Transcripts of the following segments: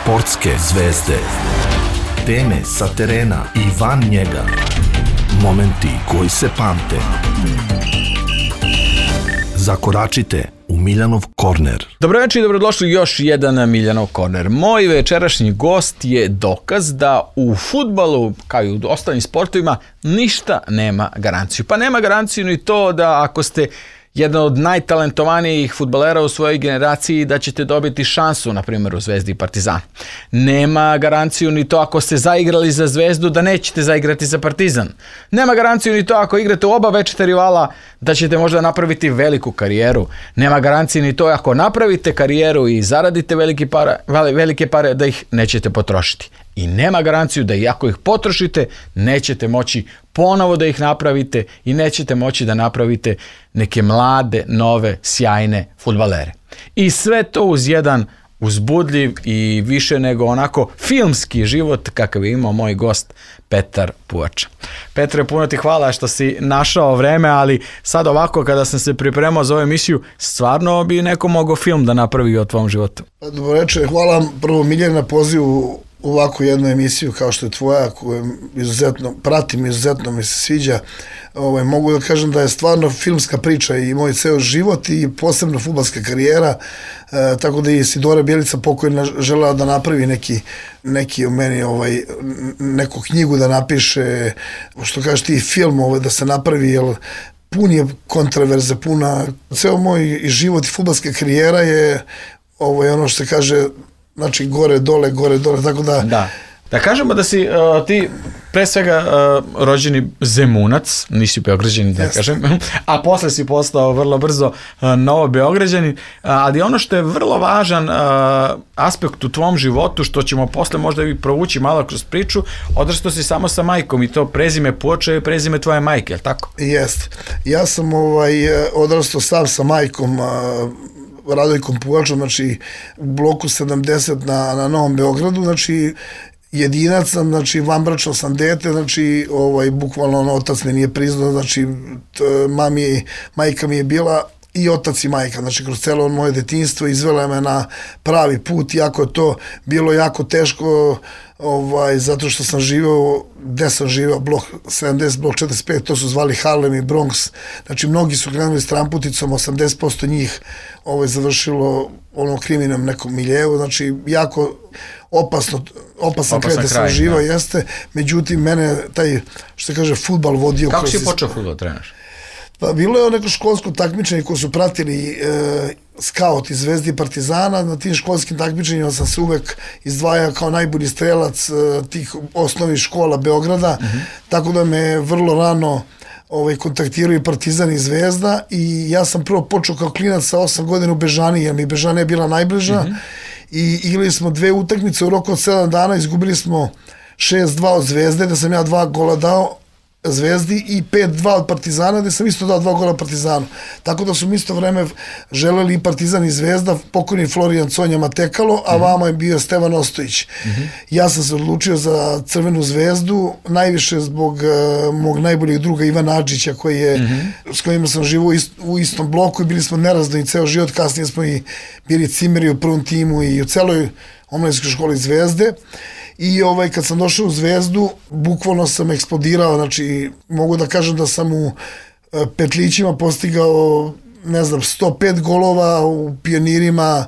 Sportske zvezde. Teme sa terena i van njega. Momenti koji se pamte. Zakoračite u Miljanov korner. Dobro večer i dobrodošli još jedan Miljanov korner. Moj večerašnji gost je dokaz da u fudbalu, kao i u ostalim sportovima, ništa nema garanciju. Pa nema garanciju ni to da ako ste jedan od najtalentovanijih fudbalera u svojoj generaciji da ćete dobiti šansu, na primjer, u Zvezdi i Partizanu. Nema garanciju ni to ako ste zaigrali za Zvezdu da nećete zaigrati za Partizan. Nema garanciju ni to ako igrate u oba večita rivala da ćete možda napraviti veliku karijeru. Nema garancije ni to ako napravite karijeru i zaradite velike pare da ih nećete potrošiti. I nema garanciju da i ako ih potrošite, nećete moći ponovo da ih napravite i nećete moći da napravite neke mlade, nove, sjajne fudbalere. I sve to uz jedan uzbudljiv i više nego onako filmski život kakav je imao moj gost Petar Puvača. Petre, puno ti hvala što si našao vreme, ali sad ovako kada sam se pripremao za ovu emisiju, stvarno bi neko mogao film da napravi o tvom životu. Dobro večer, hvala vam prvo Miljan na pozivu u ovakvu jednu emisiju kao što je tvoja, koju izuzetno pratim, izuzetno mi se sviđa. Mogu da kažem da je stvarno filmska priča i moj ceo život i posebno fudbalska karijera, tako da i Sidora Bjelica pokojna želela da napravi neki o meni, neku knjigu da napiše, što kažeš ti, film da se napravi, jer pun je kontraverze, ceo moj život i fudbalska karijera je ono što se kaže, znači gore, dole, tako da... Da kažemo da si ti pre svega rođeni Zemunac, nisi Beograđanin da kažem, a posle si postao vrlo brzo novo Beograđanin, ali ono što je vrlo važan aspekt u tvom životu, što ćemo posle možda i provući malo kroz priču, odrastao si samo sa majkom i to prezime Puvača i prezime tvoje majke, je li tako? Jeste. Ja sam odrastao sam sa majkom, Radojkom Puvačom, znači u bloku 70 na Novom Beogradu, znači jedinac sam, znači vanbračno sam dete, znači bukvalno otac me nije priznao, znači majka mi je bila i otac i majka, znači kroz celo moje detinjstvo izvela me na pravi put, iako je to bilo jako teško, zato što sam živeo, gde sam živeo, blok 70, blok 45, to su zvali Harlem i Bronx, znači mnogi su krenuli s tramputicom, 80% njih završilo kriminalnom nekom miljeu, znači jako opasan kraj da sam živao, jeste, međutim mene taj, što se kaže, fudbal vodio. Kako si počeo fudbal trenaš? Pa bilo je neko školsko takmičenje koje su pratili skauti Zvezdi i Partizana. Na tim školskim takmičenjima sam se uvek izdvajao kao najbolji strelac tih osnovnih škola Beograda, tako da me vrlo rano kontaktirao i Partizan i Zvezda i ja sam prvo počeo kao klinac sa 8 godina u Bežani, jer mi Bežana je bila najbliža i igrali smo 2 utakmice u roku od 7 dana, izgubili smo 6-2 od Zvezde, da sam ja 2 gola dao Zvezdi i 5-2 od Partizana, gde sam isto dao 2 gola Partizanu. Tako da su mi isto vreme želeli i Partizan i Zvezda, pokojni Florijan Conja Matekalo, a vama je bio Stevan Ostojić. Ja sam se odlučio za Crvenu Zvezdu, najviše zbog mog najboljeg druga Ivana Adžića, s kojima sam živao u istom bloku i bili smo nerazdani ceo život, kasnije smo i bili cimeri u prvom timu i u celoj omladinskoj školi Zvezde. I kad sam došao u Zvezdu, bukvalno sam eksplodirao, znači mogu da kažem da sam u petlićima postigao, 105 golova, u pionirima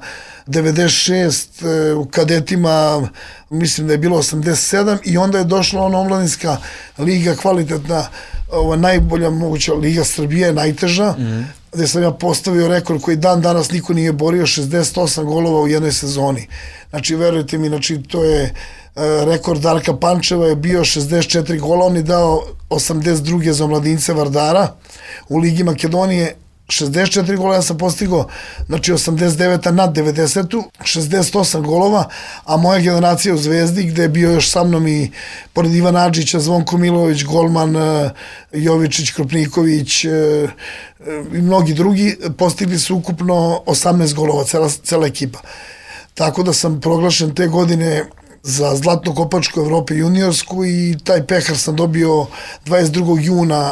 96, u kadetima mislim da je bilo 87 i onda je došla omladinska liga, kvalitetna, najbolja moguća liga Srbije, najteža, gde sam ja postavio rekord koji dan danas niko nije borio, 68 golova u jednoj sezoni. Znači, verujte mi, znači, to je rekord Darka Pančeva je bio 64 gola, on je dao 82 za Omladince Vardara, u Ligi Makedonije 64 gola, ja sam postigao, znači 89 nad 90, 68 golova, a moja generacija u Zvezdi, gde je bio još sa mnom i pored Ivana Adžića, Zvonko Milović, golman, Jovičić, Kropniković i mnogi drugi, postigli su ukupno 18 golova, cela ekipa. Tako da sam proglašen te godine za zlatnu kopačku Evrope juniorsku i taj pehar sam dobio 22. juna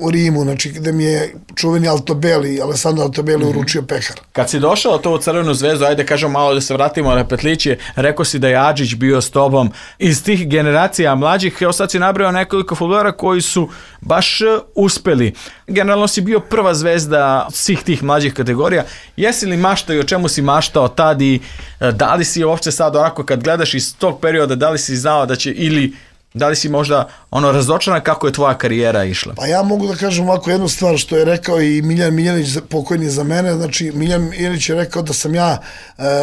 u Rimu, znači gde mi je čuveni Altobelli, Alessandro Altobelli uručio pehar. Kad si došao to u Crvenu zvezdu, ajde kažem malo da se vratimo na petliće, rekao si da je Adžić bio s tobom iz tih generacija mlađih, evo sad si nabrojao nekoliko fudbalera koji su baš uspeli. Generalno si bio prva zvezda svih tih mlađih kategorija. Jesi li maštao i o čemu si maštao tad i da li si uopće sad onako kad gledaš iz tog perioda, da li si znao da će ili da li si možda razočaran kako je tvoja karijera išla? Pa ja mogu da kažem ovako jednu stvar što je rekao i Miljan Miljanić, pokojni za mene. Znači Miljan Miljanić je rekao da sam ja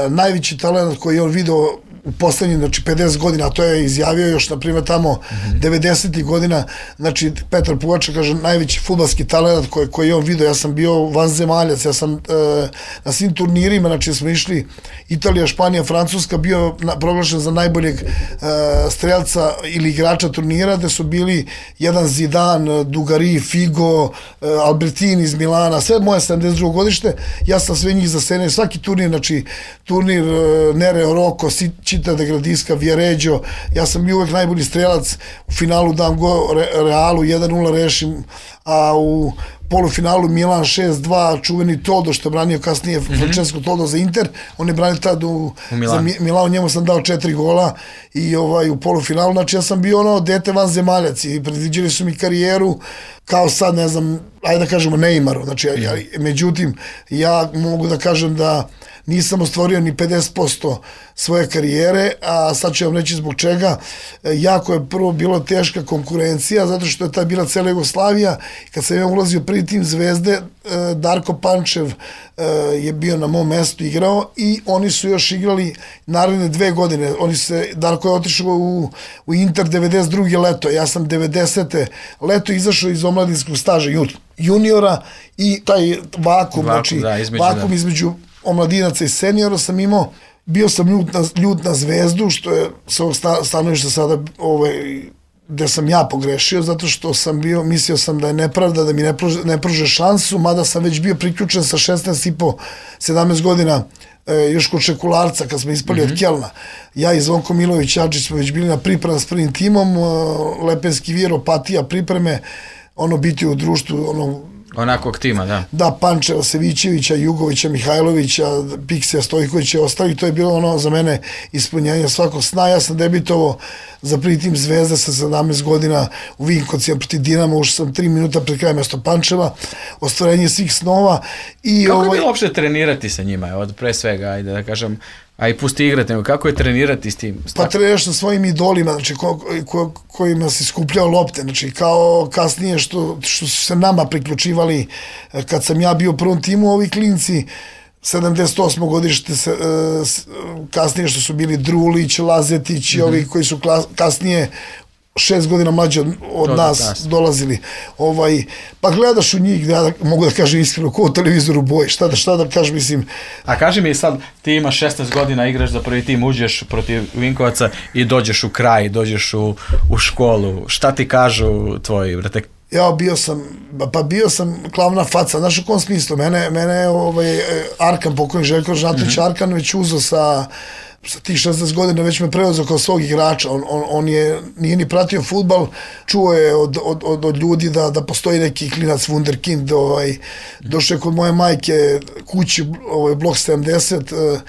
najveći talent koji je on video u poslednjih 50 godina, a to je izjavio još na primjer tamo 90. godina, znači Petar Pugača kaže najveći fudbalski talent koji je on video. Ja sam bio vanzemaljac, ja sam na svim turnirima, znači smo išli Italija, Španija, Francuska, bio proglašen za najboljeg strelca ili igrača turnira, gde su bili jedan Zidane, Dugarry, Figo, Albertini iz Milana, sve moje 72. godište, ja sam sve njih zasenio, svaki turnir, znači turnir Nereo Rocco, Città de Gradiska, Viareggio, ja sam bio uvek najbolji strelac, u finalu dam go Realu, 1-0 rešim, a u polufinalu Milan 6-2, čuveni Todo što je branio kasnije Francesco Todo za Inter, on je branio tad za Milano, njemu sam dao 4 gola i u polufinalu, znači ja sam bio dete vanzemaljac i predviđali su mi karijeru kao sad, ne znam, ajde da kažemo Neymaru, znači, međutim, ja mogu da kažem da nisam ostvario ni 50% svoje karijere, a sad ću vam reći zbog čega. Jako je prvo bilo teška konkurencija, zato što je ta bila cela Jugoslavija. Kad sam ja ulazio prvi tim Zvezde, Darko Pančev je bio na mom mestu igrao i oni su još igrali naredne 2 godine. Darko je otišao u Inter 92. leto, ja sam 90. leto izašao iz omladinskog staža juniora i taj vakum, znači vakum između omladinaca i seniora sam imao. Bio sam ljut na Zvezdu, što je s ovog stanovišta sada gde sam ja pogrešio, zato što sam bio, mislio sam da je nepravda, da mi ne pruže šansu, mada sam već bio priključen sa 16,5-17 godina još kod Šekularca, kad smo ispali od Kelna. Ja i Zvonko Milović Adžić smo već bili na priprema s prvim timom, Lepenski Vir, Opatija, pripreme, biti u društvu, onakvog tima, da. Da, Pančeva, Sevićevića, Jugovića, Mihajlovića, Piksija, Stojkovića i ostali, to je bilo za mene ispunjenje svakog sna. Ja sam debitovao za prvi tim Zvezde sa 17 godina u Vinkovcima protiv Dinama, ušao sam 3 minuta pred krajem mesto Pančeva, ostvarenje svih snova. Kako je bilo uopšte trenirati sa njima, od pre svega, ajde da kažem, a i pusti igrati, nego kako je trenirati s tim? Pa treniraš sa svojim idolima, znači kojima si skupljao lopte, znači kao kasnije što su se nama priključivali, kad sam ja bio u prvom timu, ovi klinci 78. godište, kasnije što su bili Drulić, Lazetić i ovi koji su kasnije 6 godina mlađe od nas dolazili. Pa gledaš u njih, ja mogu da kažem iskreno, ko u televizoru boji, šta da kažem, mislim. A kaži mi sad, ti imaš 16 godina, igraš za prvi tim, uđeš protiv Vinkovaca i dođeš u kraj, dođeš u školu. Šta ti kažu tvoji, brate? Ja bio sam glavna faca, znaš u kom smislu, mene Arkan, pokojni Željko Žnatović Arkan već uzeo sa tih 16 godina, već me preuzeo kao svog igrača, on nije ni pratio fudbal, čuo je od ljudi da postoji neki klinac wunderkind, došao je kod moje majke kući, blok 70,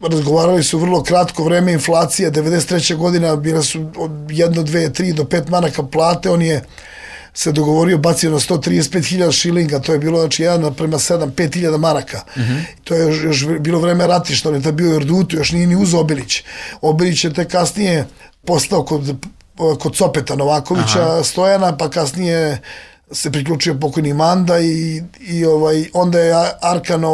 razgovarali su vrlo kratko vreme, inflacija, 93. godina, bile su od 1, 2, 3 do 5 maraka plate, on je se dogovorio, bacio na 135.000 šilinga, to je bilo, znači, 1:7, 5.000 maraka. To je još bilo vreme ratišta, on je tad bio u Erdutu, još nije ni uz Obilić. Obilić je te kasnije postao kod Copeta Novakovića, Stojana, pa kasnije se priključio pokojni Manda i onda je Arkan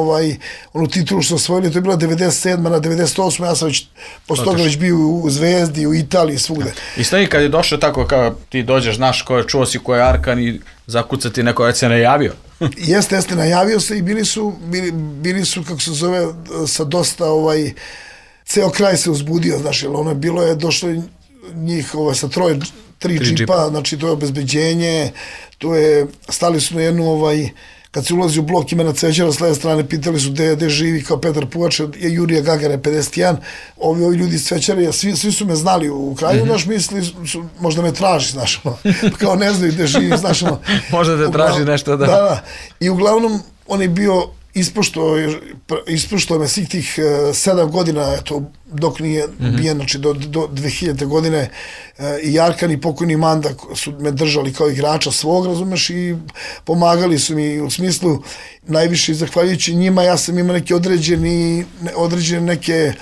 onu titulu što osvojili, to je bila 97. na 98. Ja sam već posle toga već bio u Zvezdi, u Italiji, svugde. I stoji kad je došao tako kao ti dođeš, znaš ko je, čuo si ko je Arkan i zakucati neko već se najavio. Jeste, najavio se i bili su, kako se zove, sa dosta, ceo kraj se uzbudio, znaš, jer ono bilo je, došlo njih sa 3 džipa, znači to je obezbeđenje, stali su na jednu kad se ulazi u blok imena Cvećara, s leve strane pitali su gde živi kao Petar Puvač, je Jurija Gagara 51, ovi ljudi iz Cvećara, svi su me znali u kraju, naš misli su, možda me traži, znaš, kao ne znaju gde živi, znaš, možda te traži nešto, da. Da, i uglavnom on je bio ispoštovao me svih tih 7 godina, eto, dok nije ubijen, znači do 2000. godine, i Arkan i pokojni Manda su me držali kao igrača svog, razumeš, i pomagali su mi u smislu, najviše zahvaljujući njima, ja sam imao neke određene neke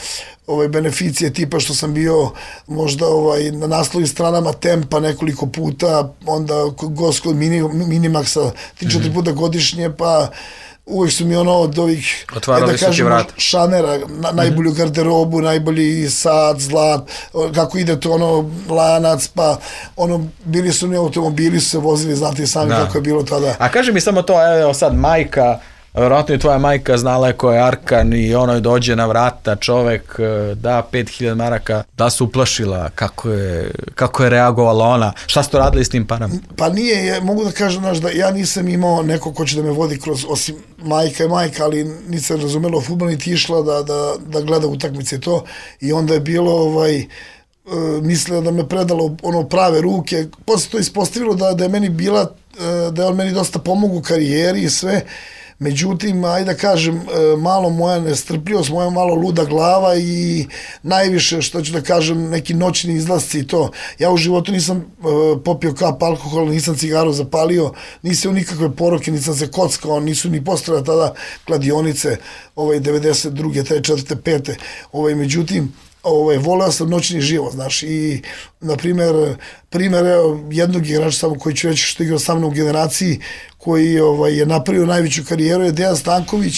beneficije, tipa što sam bio možda na naslovnim stranama Tempa nekoliko puta, onda gost kod Minimaxa 3-4 puta godišnje, pa uvijek su mi od ovih, otvarali su ti vrat, šanera, najbolju garderobu, najbolji sat, zlat, kako ide to lanac, pa bili su automobili, su se vozili, znate sami kako je bilo tada. A kaži mi samo to, evo sad majka, vjerojatno je tvoja majka znala je ko je Arkan i ono dođe na vrata, čovek da 5000 maraka, da se uplašila, kako je reagovala ona, šta ste radili s tim parama? Pa nije, mogu da kažem, da ja nisam imao neko ko će da me vodi kroz, osim majka, ali nisam razumela o fudbalu, niti išla da gleda utakmice to, i onda je bilo mislila da me predalo prave ruke, posle to ispostavilo da je meni bila, da je on meni dosta pomogao u karijeri i sve. Međutim, ajde da kažem, malo moja nestrpljivost, moja malo luda glava i najviše, što ću da kažem, neki noćni izlasci i to. Ja u životu nisam popio kap alkohola, nisam cigaru zapalio, nisam u nikakve poroke, nisam se kockao, nisu ni postojale tada kladionice, 92. 3. 4. 5. Međutim, voleo sam noćni život, znaš, i na primjer jednog igrača samo koji ću reći što igrao sa mnom u generaciji, koji je napravio najveću karijeru, je Dejan Stanković,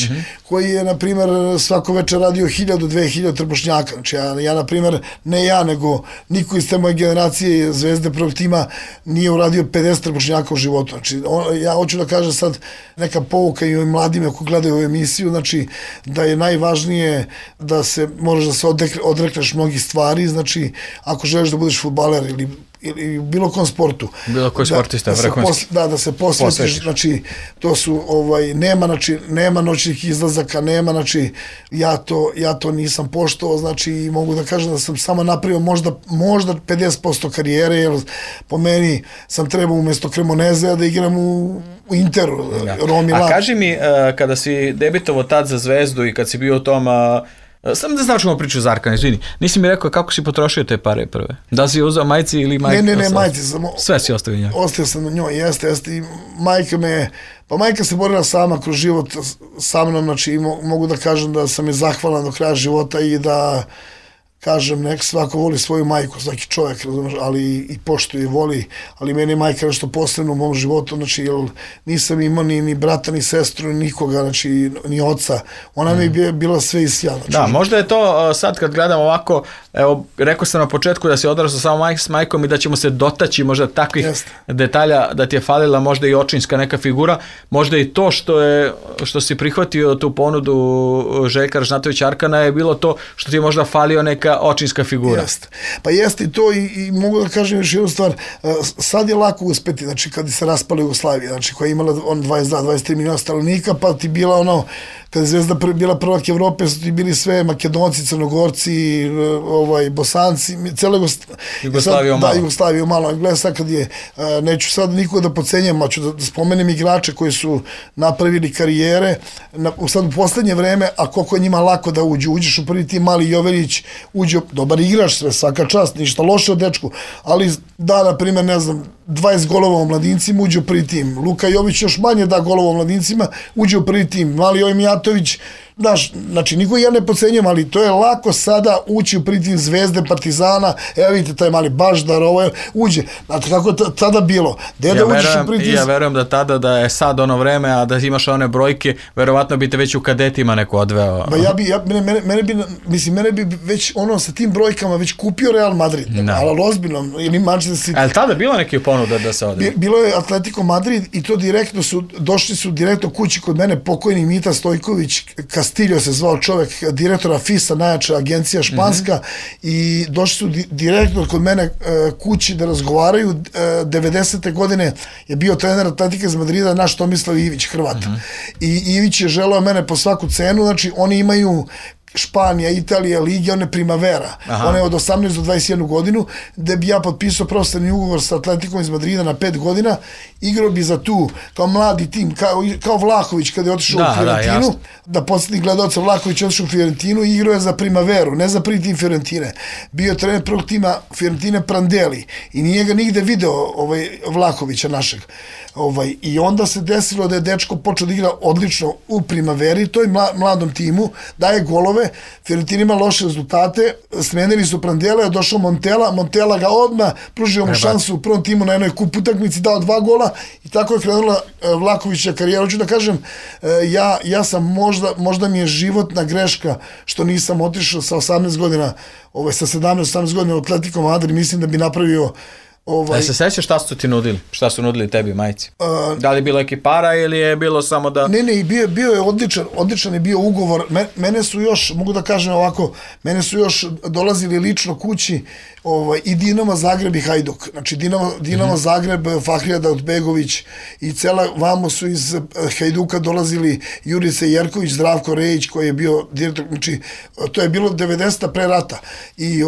koji je, na primjer, svako večer radio 1000-2000 trbušnjaka. Znači, ja, na primjer, ne ja, nego niko iz te moje generacije Zvezde prvog tima nije uradio 50 trbušnjaka u životu. Znači, ja hoću da kažem sad neka pouka i ovim mladima koji gledaju ovu emisiju, znači, da je najvažnije da moraš da se odrekneš mnogih stvari, znači, ako želiš da budeš fudbaler ili bilo kom sportu. Bilo koji sportista, vrhunski. Da se posvetiš, znači, to su, nema noćnih izlazaka, nema, znači, ja to nisam poštovao, znači, i mogu da kažem da sam samo napravio možda 50% karijere, jer po meni sam trebao umjesto Cremonezea da igram u Interu, Romi Lab. A kaži mi, kada si debitovao tad za Zvezdu i kad si bio u tom... Samo da značimo priču za Arkana, izvini. Nisi mi rekao kako si potrošio te pare prve. Da si uzao majci ili majke? Ne, majci sam. Sve si ostavio njoj? Ostavio sam na njoj, jeste. I majka se borila sama kroz život sa mnom, znači mogu da kažem da sam je zahvalan do kraja života i da kažem, nek svako voli svoju majku, svaki čovjek, ali i poštuje i voli, ali meni je majka nešto posebno u mom životu, znači, jer nisam imao ni brata, ni sestru, ni nikoga, znači, ni oca. Ona mi je bila sve i sja. Znači, da, možda je to sad kad gledam ovako, evo, rekao sam na početku da si odrastao samo s majkom i da ćemo se dotaći možda takvih detalja, da ti je falila možda i očinska neka figura, možda i to što si prihvatio tu ponudu Željka Ražnatovića Arkana je bilo to što ti je možda falio neka očinska figura. Jeste. Pa jeste i to i mogu da kažem još jednu stvar, sad je lako uspeti, znači kad se raspala Jugoslavija, znači koja je imala 22-23 miliona stanovnika, pa ti bila kada je Zvezda bila prvak Evrope, su ti bili sve Makedonci, Crnogorci, Bosanci, cijela Jugoslavija malo. Gledaj sad kad je, neću sad nikoga da pocenjam, a ću da spomenem igrače koji su napravili karijere, sad u poslednje vreme, a koliko je njima lako da uđeš u prvi tim, Mali Joverić, dobar igrač, sve, svaka čast, ništa loše od dečku, ali da, na primjer, ne znam, 20 golova u mladincima, uđe u prvi tim. Luka Jović još manje da golova u mladincima, uđe u prvi tim. Mali Jovi Mijatović, znači, niko ja ne pocenjujem, ali to je lako sada ući u prvi tim Zvezde, Partizana, evo vidite, taj mali Baždar, uđe. Znači, kako je tada bilo? Ja verujem da tada, da je sad ono vreme, a da imaš one brojke, verovatno bi te već u kadetima neko odveo. Mene bi već sa tim brojkama već kupio Real Madrid, ali ozbiljno, ili Manchester City. Ali tada bilo neki ponuda da se ode? Bilo je Atletico Madrid i to došli su direktno kući kod mene, pokojni Mita Stojković, Castillo se zvao čovek, direktora FISA, najjača agencija španska, i došli su direktno kod mene kući da razgovaraju. 90. godine je bio trener Atletika iz Madrida, naš Tomislav Ivić, Hrvat. I Ivić je želeo mene po svaku cenu, znači oni imaju Španija, Italija, Lige, one Primavera. One od 18 do 21 godinu, gde bi ja potpisao profesionalni ugovor sa Atletikom iz Madrida na 5 godina, igrao bi za tu, kao mladi tim, kao Vlahović kada je otišao u Fiorentinu, da podsjetnik gledalca, Vlahović je otišao u Fiorentinu i igrao je za Primaveru, ne za prvi tim Fiorentine. Bio je trener prvog tima Fiorentine Prandelli i nije ga nigde video Vlahovića našeg. I onda se desilo da je dečko počeo da igra odlično u Primaveri, to je mladom timu, daje golove, Fiorentina ima loše rezultate, smenili su Prandele, došao Montella ga odmah, pružio mu šansu u prvom timu na jednoj kup utakmici, dao 2 gola i tako je krenula Vlahovića karijera. Hoću da kažem, ja sam možda mi je životna greška što nisam otišao sa 18 godina, sa 17-18 godina u Atletico Madrid, mislim da bi napravio. Da se sećaš šta su ti nudili? Šta su nudili tebi majici? Da li je bilo ekipara ili je bilo samo da... Ne, bio je odličan je bio ugovor. Mene su još, mogu da kažem ovako, mene su još dolazili lično kući i Dinamo Zagreb i Hajduk. Znači Dinamo Zagreb, Fahrija Dautbegović i cela, vamo su iz Hajduka dolazili Jurica Jerković, Zdravko Rejić koji je bio direktor, znači to je bilo 90. pre rata. I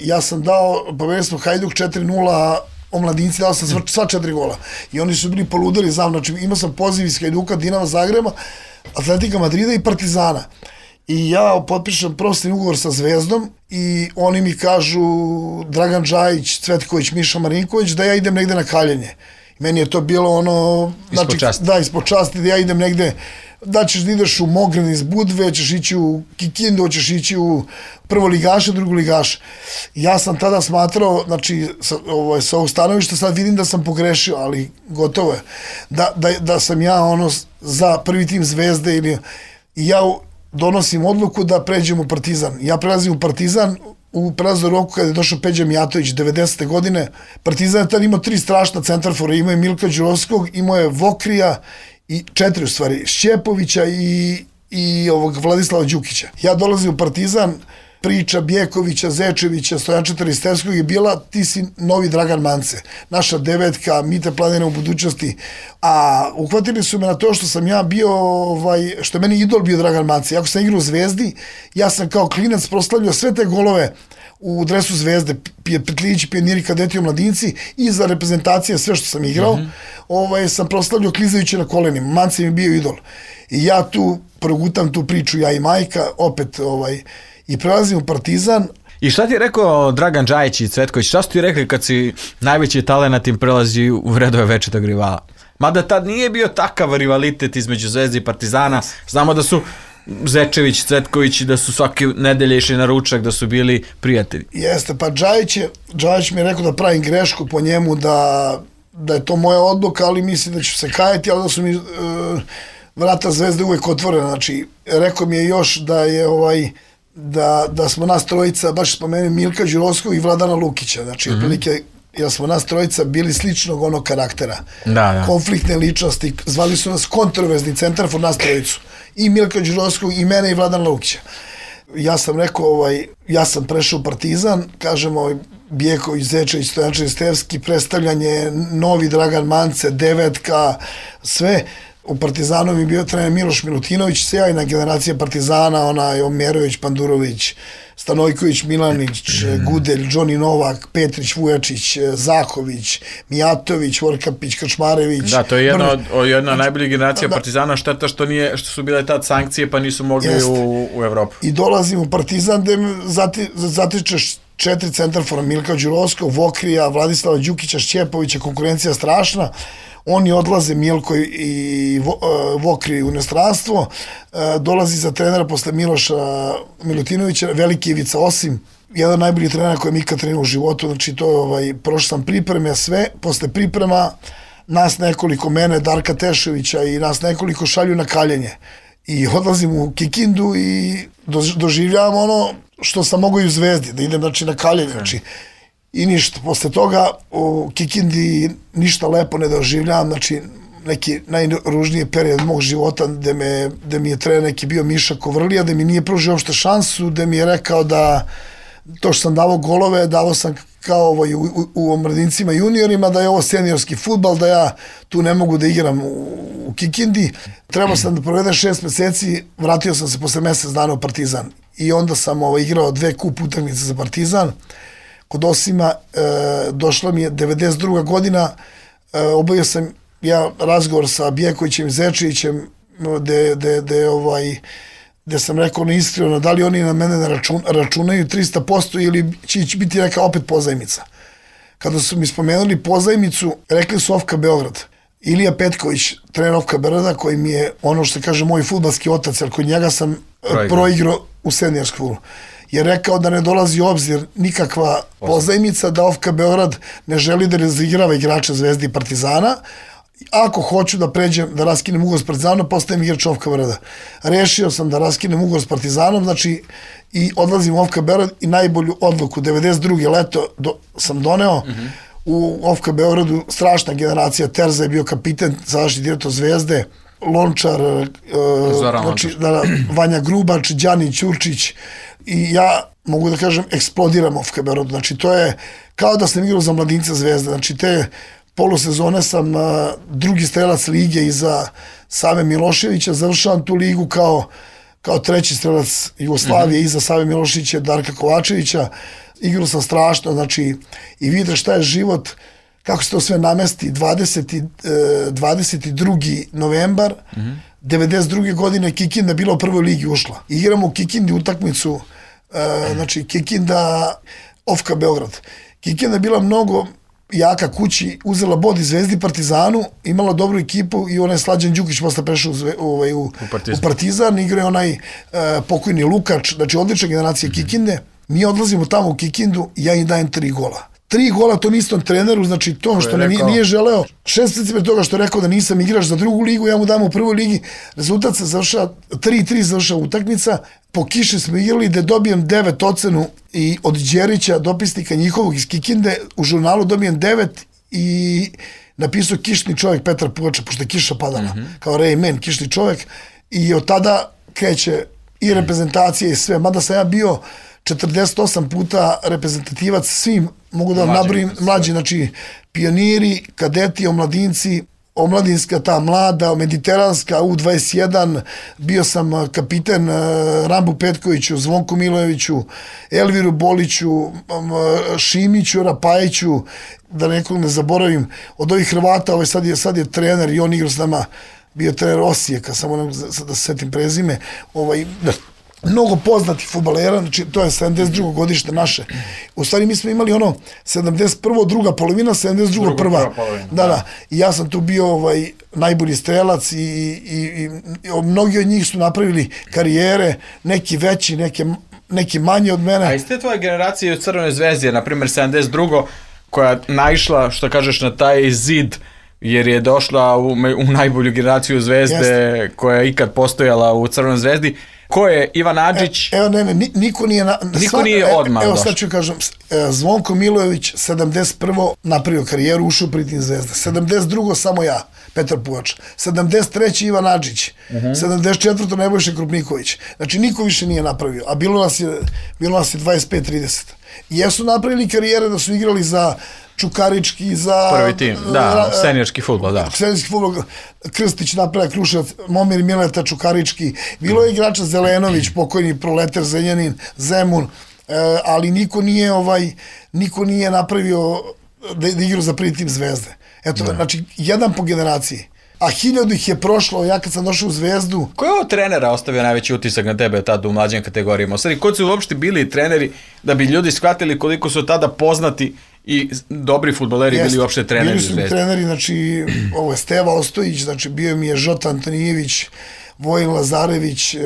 ja sam dao, pobedili smo Hajduk 4-0, omladinci, dao sam sva 4 gola. I oni su bili poludeli za mnom. Znači imao sam poziv iz Hajduka, Dinama Zagreba, Atletika Madrida i Partizana. I ja potpišem profesionalni ugovor sa Zvezdom i oni mi kažu, Dragan Džajić, Cvetković, Miša Marinković, da ja idem negde na kaljenje. Meni je to bilo ono... Ispod časti. Da, ispod časti, da ja idem negde, da ćeš da ideš u Mogren iz Budve, ćeš ići u Kikindu, ćeš ići u prvoligaše, drugoligaše. Ja sam tada smatrao, znači, sa ovog stanovišta sad vidim da sam pogrešio, ali gotovo je. Da sam ja za prvi tim Zvezde ili... I ja donosim odluku da pređem u Partizan. Ja prelazim u Partizan u prelaznom roku kada je došao Peđa Mijatović 90. godine. Partizan je tada imao 3 strašna centarfora. Imao je Milka Đurovskog, imao je Vokrija i 4 u stvari, Šćepovića i Vladislava Đukića. Ja dolazim u Partizan, priča Bjekovića, Zečevića, Stojančeta Ristevskog je bila, ti si novi Dragan Mance, naša devetka, Mite planira u budućnosti, a uhvatili su me na to što sam ja bio, što je meni idol bio Dragan Mance. Ako sam igrao u Zvezdi, ja sam kao klinac proslavljao sve te golove u dresu Zvezde, Petljići, pioniri, kadeti, mladinci i za reprezentacije, sve što sam igrao, sam proslavljao klizajući na kolenima. Mance mi bio idol. I ja tu progutam tu priču, ja i majka, opet, i prelazim u Partizan. I šta ti je rekao Dragan Džajić i Cvetković? Šta su ti rekli kad si najveći talenat im prelazi u redove večitog rivala? Mada tad nije bio takav rivalitet između Zvezde i Partizana. Znamo da su Zečević, Cvetković, da su svake nedelje išli na ručak, da su bili prijatelji. Jeste, pa Džajić mi je rekao da pravim grešku po njemu, da je to moja odluka, ali mislim da ću se kajati, ali da su mi vrata Zvezde uvek otvorena. Znači, rekao mi je još da je da smo nas trojica, baš spomenuo Milka Đurovskog i Vladana Lukića, znači otprilike, jer smo nas trojica bili sličnog onog karaktera, konfliktne ličnosti, zvali su nas kontroverzni centarfor, nas trojicu, i Milka Đurovskog, i mene, i Vladana Lukića. Ja sam rekao, ja sam prešao u Partizan, kažemo, Bjeković, Zečević, Stojančević, Ristevski, predstavljanje, novi Dragan Mance, devetka, sve. U Partizanu mi je bio trener Miloš Milutinović, sjajna generacija Partizana, Omerović, Pandurović, Stanojković, Milanić, Gudelj, Džoni Novak, Petrić, Vujačić, Zahović, Mijatović, Vorkapić, Krčmarević. Da, to je jedna najboljih generacija Partizana, šteta što su bile tad sankcije pa nisu mogli u Evropu. I dolazim u Partizan gde zatičeš 4 centarfora, Milka Đurovskog, Vokrija, Vladislava Đukića, Šćepovića, konkurencija strašna. Oni odlaze, Milko i Vokri, u inostranstvo, dolazi za trenera posle Miloša Milutinovića, veliki Ivica Osim, jedan najbolji trenera koji mi ikad trenirao u životu, znači to prošao sam pripreme, sve, posle priprema nas nekoliko, mene, Darka Tešovića i nas nekoliko šalju na kaljenje. I odlazim u Kikindu i doživljavam ono što sam mogao i u Zvezdi, da idem, znači, na kaljenje, znači, I ništa, posle toga u Kikindi ništa lepo ne doživljavam, znači neki najružniji period mog života gde mi je trener neki bio Miša Kovrlija, gde mi nije pružio uopšte šansu, gde mi je rekao da to što sam davao golove, davao sam kao u omladincima juniorima, da je ovo seniorski fudbal, da ja tu ne mogu da igram u Kikindi. Trebao sam da provedem 6 meseci, vratio sam se posle mesec dana u Partizan. I onda sam igrao 2 kup utakmice za Partizan. Kod Osima došla mi je 92. godina, obavio sam ja razgovor sa Bjekovićem i Zečevićem, gde sam rekao neiskreno da li oni na mene ne računaju 300% ili će biti neka opet pozajmica. Kada su mi spomenuli pozajmicu, rekli su OFK Beograd. Ilija Petković, trener OFK Beograda, koji mi je ono što se kaže moj fudbalski otac, jer kod njega sam proigrao u seniorskom fudbalu, je rekao da ne dolazi u obzir nikakva pozajmica, da OFK Beograd ne želi da razigrava igrača Zvezde i Partizana. Ako hoću da pređem, da raskinem ugovor s Partizanom, postajem igrač OFK Beograda. Rešio sam da raskinem ugovor s Partizanom, znači i odlazim u OFK Beograd i najbolju odluku, 92. leto sam doneo. U OFK Beogradu strašna generacija, Terza je bio kapiten, sadašnji direktor Zvezde, Lončar, znači, Vanja Grubač, Đani Ćurčić, i ja mogu da kažem eksplodiram OFK Beogradu, znači to je kao da sam igrao za mladinca Zvezde, znači te polusezone sam drugi strelac lige iza Save Miloševića, završavam tu ligu kao treći strelac Jugoslavije iza Save Miloševića, Darka Kovačevića, igrao sam strašno, znači i vidite šta je život, kako se to sve namesti, 22. novembar, 92. godine Kikinda bila u prvoj ligi ušla. Igramo u Kikindi utakmicu, znači Kikinda, OFK Beograd. Kikinda je bila mnogo jaka kući, uzela bod i Zvezdi Partizanu, imala dobru ekipu i onaj Slađan Đukić posle prešao u Partizan, igra je onaj pokojni Lukač, znači odlična generacija Kikinde. Mi odlazimo tamo u Kikindu i ja im dajem 3 gola. 3 gola tom istom treneru, znači to što nije želeo, 6 meseci pre toga što je rekao da nisam igrač za drugu ligu, ja mu dam u prvoj ligi, rezultat se završava, 3-3 završava utakmica, po kiši smo igrali da dobijem 9 ocenu i od Đerića, dopisnika njihovog iz Kikinde, u žurnalu dobijem 9 i napisao kišni čovjek Petar Puvača, pošto je kiša padala, kao Rayman, kišni čovjek, i od tada kreće i reprezentacija i sve, mada sam ja bio 48 puta reprezentativac svim, mogu da vam nabrojim, mlađi, znači pioniri, kadeti, omladinci, omladinska ta mlada, mediteranska, U21, bio sam kapiten Rambu Petkoviću, Zvonku Milojeviću, Elviru Boliću, Šimiću, Rapajiću, da nekog ne zaboravim, od ovih Hrvata, sad je trener i on igra s nama, bio trener Osijeka, samo da se setim prezime, mnogo poznatih fudbalera, znači to je 72. godište naše. U stvari mi smo imali 71. druga polovina, 72. prva. Da. I ja sam tu bio najbolji strelac i mnogi od njih su napravili karijere, neki veći, neki manji od mene. A iz te tvoje generacije u Crvenoj zvezdi, na primjer 72. koja naišla, što kažeš, na taj zid, jer je došla u najbolju generaciju Zvezde koja je ikad postojala u Crvenoj zvezdi. Ko je Ivan Adžić? Niko nije odmah došao. Evo sad ću kažem, Zvonko Milojević 71. napravio karijeru, ušao u Pritin Zvezda. 72. samo ja, Petar Puvač. 73. Ivan Adžić. 74. Nebojša Krupniković. Znači niko više nije napravio, a bilo nas je 25-30. Jesu napravili karijere da su igrali za Čukarički, za... Prvi tim, da, seniorski fudbal, da. Seniorski fudbal, Krstić napravlja, Kruševac, Momir Mileta, Čukarički, bilo je igrača Zelenović, pokojni Proleter, Zenjanin, Zemun, ali niko nije napravio da igra za prvi tim Zvezde. Eto, znači, jedan po generaciji. A 1000 ih je prošlo, ja kad sam došao u Zvezdu... Ko je ovo trenera ostavio najveći utisak na tebe tada u mlađim kategorijama? U stvari, ko su uopšte bili treneri da bi ljudi shvatili koliko su tada poznati i dobri fudbaleri bili uopšte treneri u Zvezdi? Bili su treneri, znači, ovo je Steva Ostojić, znači bio mi je Žota Antonijević, Vojin Lazarević,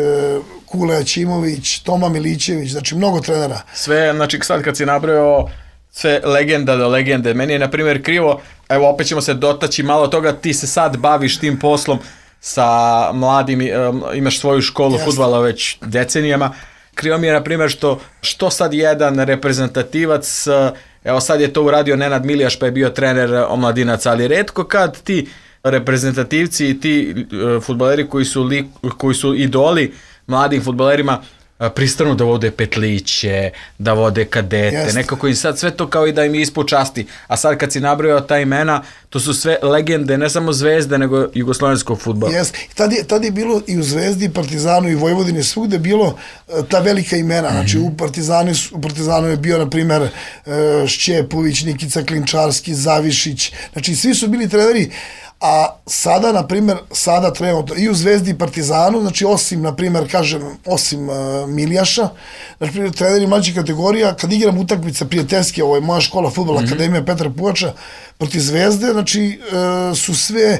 Kule Aćimović, Toma Milićević, znači mnogo trenera. Sve, znači sad kad si nabrojao sve legenda do legende, meni je na primjer krivo, evo opet ćemo se dotaći malo toga, ti se sad baviš tim poslom sa mladim, imaš svoju školu fudbala već decenijama, krivo mi je na primjer što sad jedan reprezentativac Evo sad je to uradio Nenad Milijaš pa je bio trener omladinaca, ali retko kad ti reprezentativci i ti fudbaleri koji su idoli mladim fudbalerima pristanu da vode petliće, da vode kadete, nekako im sad sve to kao i da im ispu časti. A sad kad si nabrojao ta imena, to su sve legende, ne samo Zvezde, nego jugoslovenskog fudbala. Tad je bilo i u Zvezdi, Partizanu i Vojvodini svugde bilo ta velika imena. Znači u Partizanu je bio, na primer, Šćepović, Nikica Klinčarski, Zavišić. Znači svi su bili treneri. A sada, na primjer, trenutno i u Zvezdi i Partizanu, znači osim, na primjer, osim Milijaša, znači treneri mlađih kategorija, kad igram utakmice prijateljske, ovo je moja škola fudbala, Akademija Petra Pugača, protiv Zvezde, znači su sve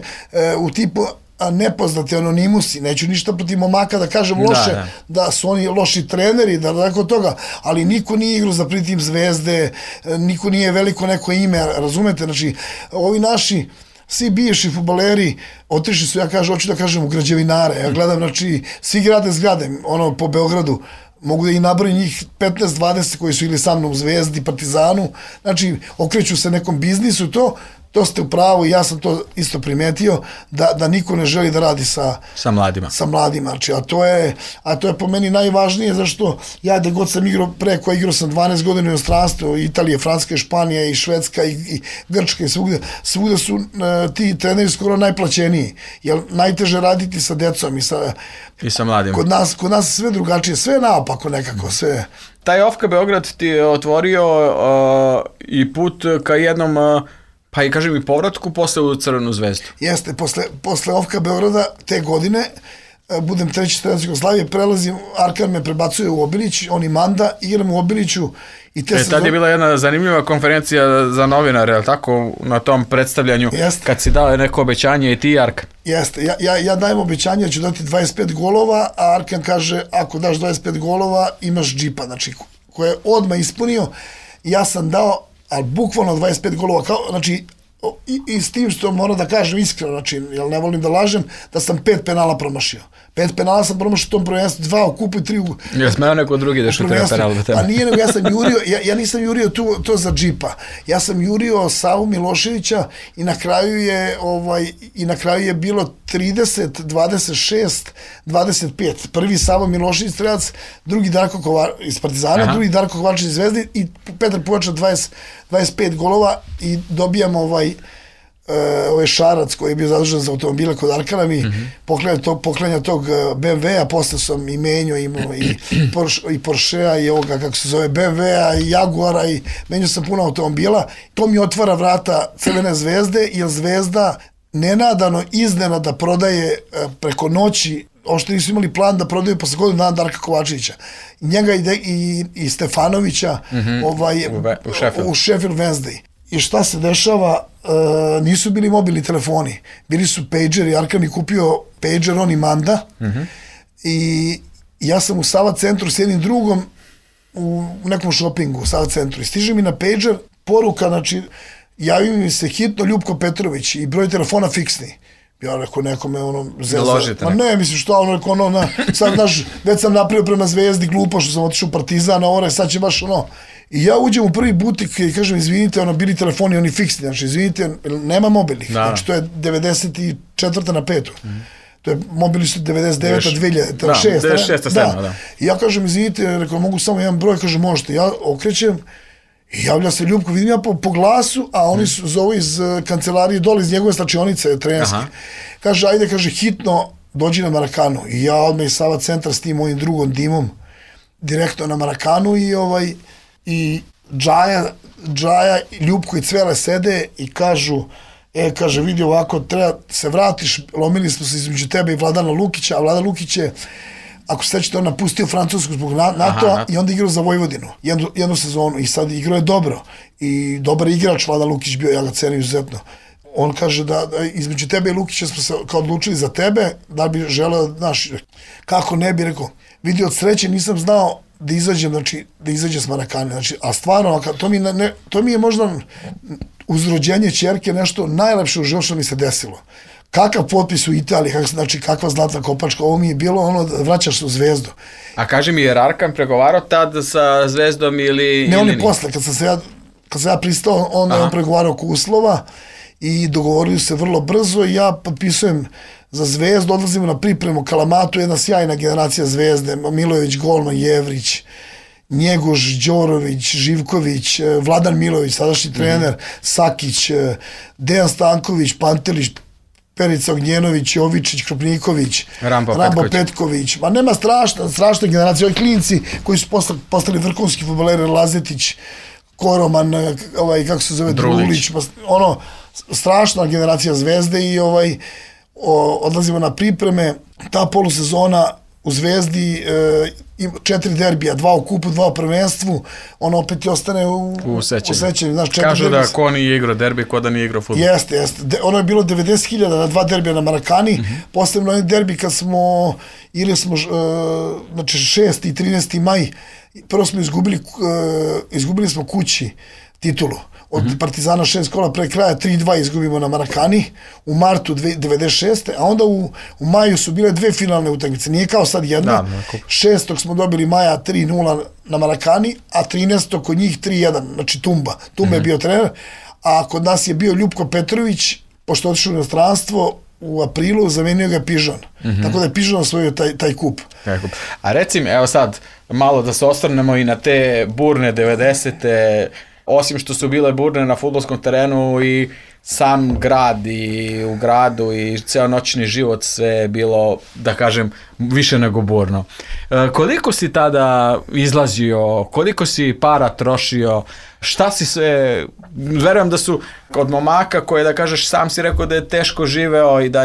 u tipu nepoznati anonimusi, neću ništa protiv momaka da kažem loše, da su oni loši treneri, da tako toga, ali niko nije igrao za pritim Zvezde, niko nije veliko neko ime, razumete, znači ovi naši svi bivši fudbaleri otišli su, hoću da kažem, u građevinare. Ja gledam, znači, svi grade zgrade, po Beogradu, mogu da i nabrojim njih 15-20 koji su ili sa mnom u Zvezdi, Partizanu, znači, okreću se nekom biznisu, to ste u pravu i ja sam to isto primetio, da niko ne želi da radi sa mladima. Znači, a to je po meni najvažnije, zašto ja da god sam igrao igrao sam 12 godina u inostranstvu, Italije, Francuska, Španija i Švedska i Grčka i svugde su ti treneri skoro najplaćeniji, jer najteže raditi sa decom i sa mladima. Kod nas sve drugačije, sve naopako nekako, sve. Taj OFK Beograd ti je otvorio i put ka jednom pa i kažem i povratku posle u Crvenu zvezdu. Jeste, posle OFK Beograda te godine, budem treći trener Jugoslavije, prelazim, Arkan me prebacuje u Obilić, on i Manda, igram u Obiliću. Tad je bila jedna zanimljiva konferencija za novinare, ali tako, na tom predstavljanju, kad si dao neko obećanje i ti, Arkan. Jeste, ja dajem obećanje da ću dati 25 golova, a Arkan kaže, ako daš 25 golova, imaš džipa, znači, koje je odmah ispunio, ja sam dao, ali bukvalno 25 golova, znači, i s tim što moram da kažem iskreno, znači, jer ne volim da lažem, da sam 5 penala promašio. 5 penala sam promašio u tom prvenstvu, 2 u kupu i 3 u... Ja smeo neko drugi da šutira penal do tebe. Pa nije, nego ja sam jurio, ja nisam jurio to za džipa. Ja sam jurio Savu Miloševića i na kraju je bilo 30, 26, 25. Prvi Savo Milošević strelac, drugi Darko iz Partizana, drugi Darko Kovačić iz Zvezde i Petar Pugača 25 golova i dobijam ovaj Šarac koji je bio zadužen za automobile kod Arkana mi poklanja tog BMW-a, posle sam i menio i Porschea i ovoga kako se zove BMW-a i Jaguara i menio sam puno automobila. To mi otvara vrata Crvene zvezde, jer Zvezda nenadano iznenada prodaje preko noći, ošto nisu imali plan da prodaju posle godinu dana Darka Kovačevića. Njega i Stefanovića u Sheffield Wednesday. I šta se dešava, nisu bili mobilni telefoni, bili su pageri, Arkan je kupio pager, on i Manda, i ja sam u Sava centru s jednim drugom u nekom šopingu u Sava centru i stiže mi na pager poruka, znači, javi mi se hitno Ljupko Petrović i broj telefona fiksni. Ja rekao nekome zezda. Ma ne, mislim što, sad znaš, već sam napravio prema Zvezdi, glupo što sam otišao u Partizan, sad će baš I ja uđem u prvi butik i kažem, izvinite, bili telefoni, oni fiksni, znači, izvinite, nema mobilnih, znači, to je 94. na 5. To je, mobili su 99. 2006. 96. I ja kažem, izvinite, rekao, mogu samo jedan broj, kažem, možete, ja okrećem, i javlja se Ljubko, vidim ja po glasu, a oni su zovu iz kancelarije dole, iz njegove slačionice trenerske. Kaže, ajde, kaže, hitno dođi na Marakanu. I ja odmah iz Sava centra s tim mojim drugom Dimom, direktno na Marakanu i Džaja, Ljubko i Cvele sede i kažu, kaže, vidi ovako, treba se vratiš, lomili smo se između tebe i Vladana Lukića, a Vladan Lukić je, ako se sećate, on napustio Francusku zbog NATO-a i onda igrao za Vojvodinu, jednu sezonu, i sad igrao je dobro, i dobar igrač Vladan Lukić bio, ja ga cenim izuzetno. On kaže da između tebe i Lukića smo se kao odlučili za tebe, da bi želeo, znaš, kako ne bi, rekao, vidi, od sreće nisam znao da izađem s Marakane, znači, a stvarno, to mi je možda uz rođenje ćerke nešto najlepše u životu što mi se desilo. Kakav potpis u Italiji, znači kakva zlatna kopačka, ovo mi je bilo vraćaš se u Zvezdu. A kaži mi, je Arkan pregovarao tad sa Zvezdom ili... Ne, on je posle, kad sam ja pristao, onda je on pregovarao oko uslova i dogovorili se vrlo brzo i ja potpisujem za Zvezdu, odlazimo na pripremu Kalamatu, jedna sjajna generacija Zvezde, Milojević, Golman, Jevrić, Njegoš, Đorović, Živković, Vladan Milović, sadašnji trener, Sakić, Dejan Stanković, Pantelić, Perica Ognjenović, Jovičić, Krupniković, Rambo Petković. Ma nema strašna generacija. Ovi klinci koji su postali vrhunski fudbaleri, Lazetić, Koroman, kako se zove, Drulić, strašna generacija Zvezde i odlazimo na pripreme. Ta polusezona u Zvezdi 4 derbija, 2 u kupu, 2 u prvenstvu, on opet i ostane u sećanju. Kažu da ko nije igrao derbi, ko da nije igrao fudbal. Jeste. Ono je bilo 90.000 na 2 derbija na Marakani, posebno onaj derbi kad smo, ili smo, znači 6. i 13. maj, prvo smo izgubili smo kući titulu. Od Partizana 6 kola pre kraja 3-2 izgubimo na Marakani u martu 96. A onda u maju su bile 2 finalne utakmice. Nije kao sad jedna. 6. smo dobili maja 3-0 na Marakani, a 13. kod njih 3-1. Znači Tumba. Tumba je bio trener. A kod nas je bio Ljupko Petrović, pošto je otišao u inostranstvo, u aprilu zamenio ga Pižon. Tako da je Pižon osvojio taj kup. A recimo, evo sad, malo da se osvrnemo i na te burne 90-te, osim što su bile burne na fudbalskom terenu i sam grad i u gradu i ceo noćni život, sve je bilo, da kažem, više nego burno. Koliko si tada izlazio, koliko si para trošio, šta si sve, verujem da su kod momaka koje, da kažeš, sam si rekao da je teško živeo i da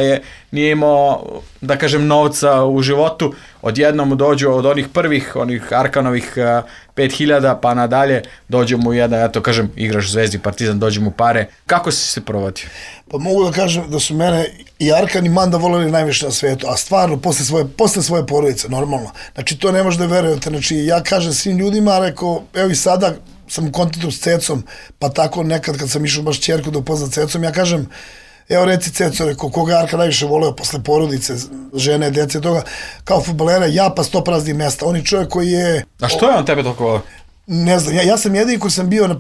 nije imao, da kažem, novca u životu, odjednom dođu od onih prvih, onih Arkanovih 5.000 pa nadalje, dođemo u jedan, ja to kažem, igraš u Zvezdi, Partizan, dođemo u pare. Kako si se provodio? Pa mogu da kažem da su mene i Arkan i Manda voleli najviše na svetu, a stvarno posle svoje porodice, normalno. Znači to ne možeš da verujete, znači ja kažem svim ljudima, rekao, evo i sada sam u kontaktu s Cecom, pa tako nekad kad sam išao baš ćerku da upozna Cecom, ja kažem, evo reci Ceco, rekao, koga je Arka najviše voleo posle porodice, žene, dece, toga, kao fudbalera, ja pa 100 praznih mesta. On je čovjek koji je... A što je on tebe toliko voleo? Ne znam, ja sam jedini koji sam bio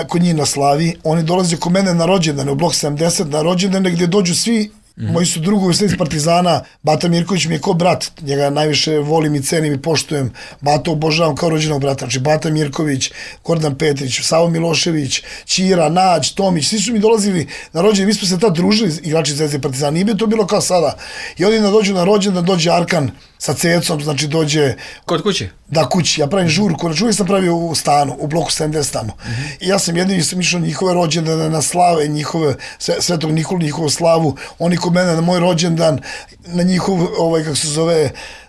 kod njih na Slavi, oni dolaze kod mene na rođendane, u blok 70, na rođendane gdje dođu svi, moji su drugovi sve iz Partizana, Bata Mirković mi je kao brat, njega najviše volim i cenim i poštujem, Bata obožavam kao rođenog brata, znači Bata Mirković, Gordan Petrić, Savo Milošević, Ćira, Nađ, Tomić, svi su mi dolazili na rođendan, mi smo se tad družili, igrači Zvezde i Partizana, nije bi to bilo kao sada. I oni dođu na rođendan, dođe Arkan sa Cecom, znači dođe... Kod kuće? Da, kući, ja pravim žurku, znači uvijek sam pravio u stanu, u bloku 70 tamo. I ja sam jedini sam išao njihove rođendane, na slave, njihove, Svetog Nikolu, njihovu slavu, oni kod mene na moj rođendan, na njihov,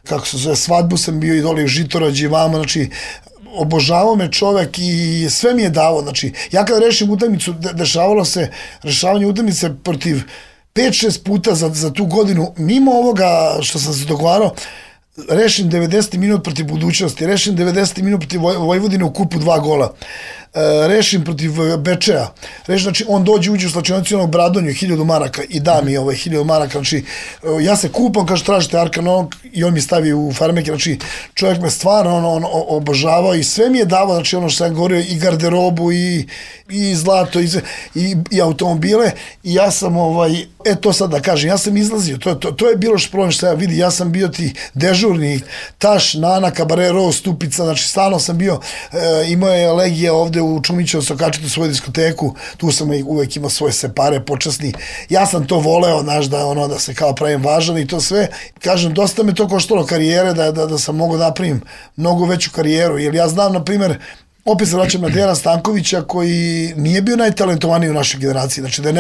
kako se zove, svadbu sam bio i dole u Žitorađi, vamo, znači, obožavao me čovek i sve mi je dao, znači, ja kada rešim utakmicu, dešavalo se rešavanje utakmice protiv 5-6 puta za tu godinu, mimo ovoga što sam se dogovarao, rešim 90 minut protiv Budućnosti, rešim 90 minut protiv Vojvodine u kupu 2 gola, rešim protiv Bečeja, znači on uđe u slačionicu onog Bradonju 1000 maraka i da mi 1000 maraka, znači ja se kupam, kaže tražite Arkan i on mi stavi u farmeke, znači čovjek me stvarno obožavao i sve mi je davao, znači ono što sam govorio, i garderobu i zlato i automobile i ja sam to sad da kažem, ja sam izlazio, to je bilo što problem što ja vidi, ja sam bio ti dežurni Taš, Nana, Kabare, Rose, Stupica, znači stalno sam bio, imao je Legija ovde u Čumićevu Sokačitu svoju diskoteku, tu sam uvek imao svoje separe počasni, ja sam to voleo, znaš, da se kao pravim važan i to sve, kažem, dosta me to koštalo karijere, da sam mogao napravim mnogo veću karijeru, jer ja znam, na primer, opet se vraćam na Dejana Stankovića koji nije bio najtalentovaniji u našoj generaciji, znači da je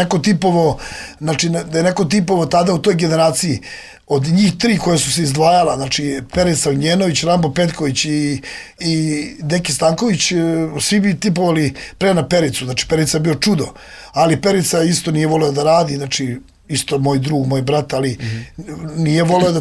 neko tipovo tada u toj generaciji od njih 3 koje su se izdvajala, znači Perica Ognjenović, Rambo Petković i Deki Stanković, svi bi tipovali pre na Pericu, znači Perica je bio čudo, ali Perica isto nije voleo da radi, znači isto moj drug, moj brat, ali nije voleo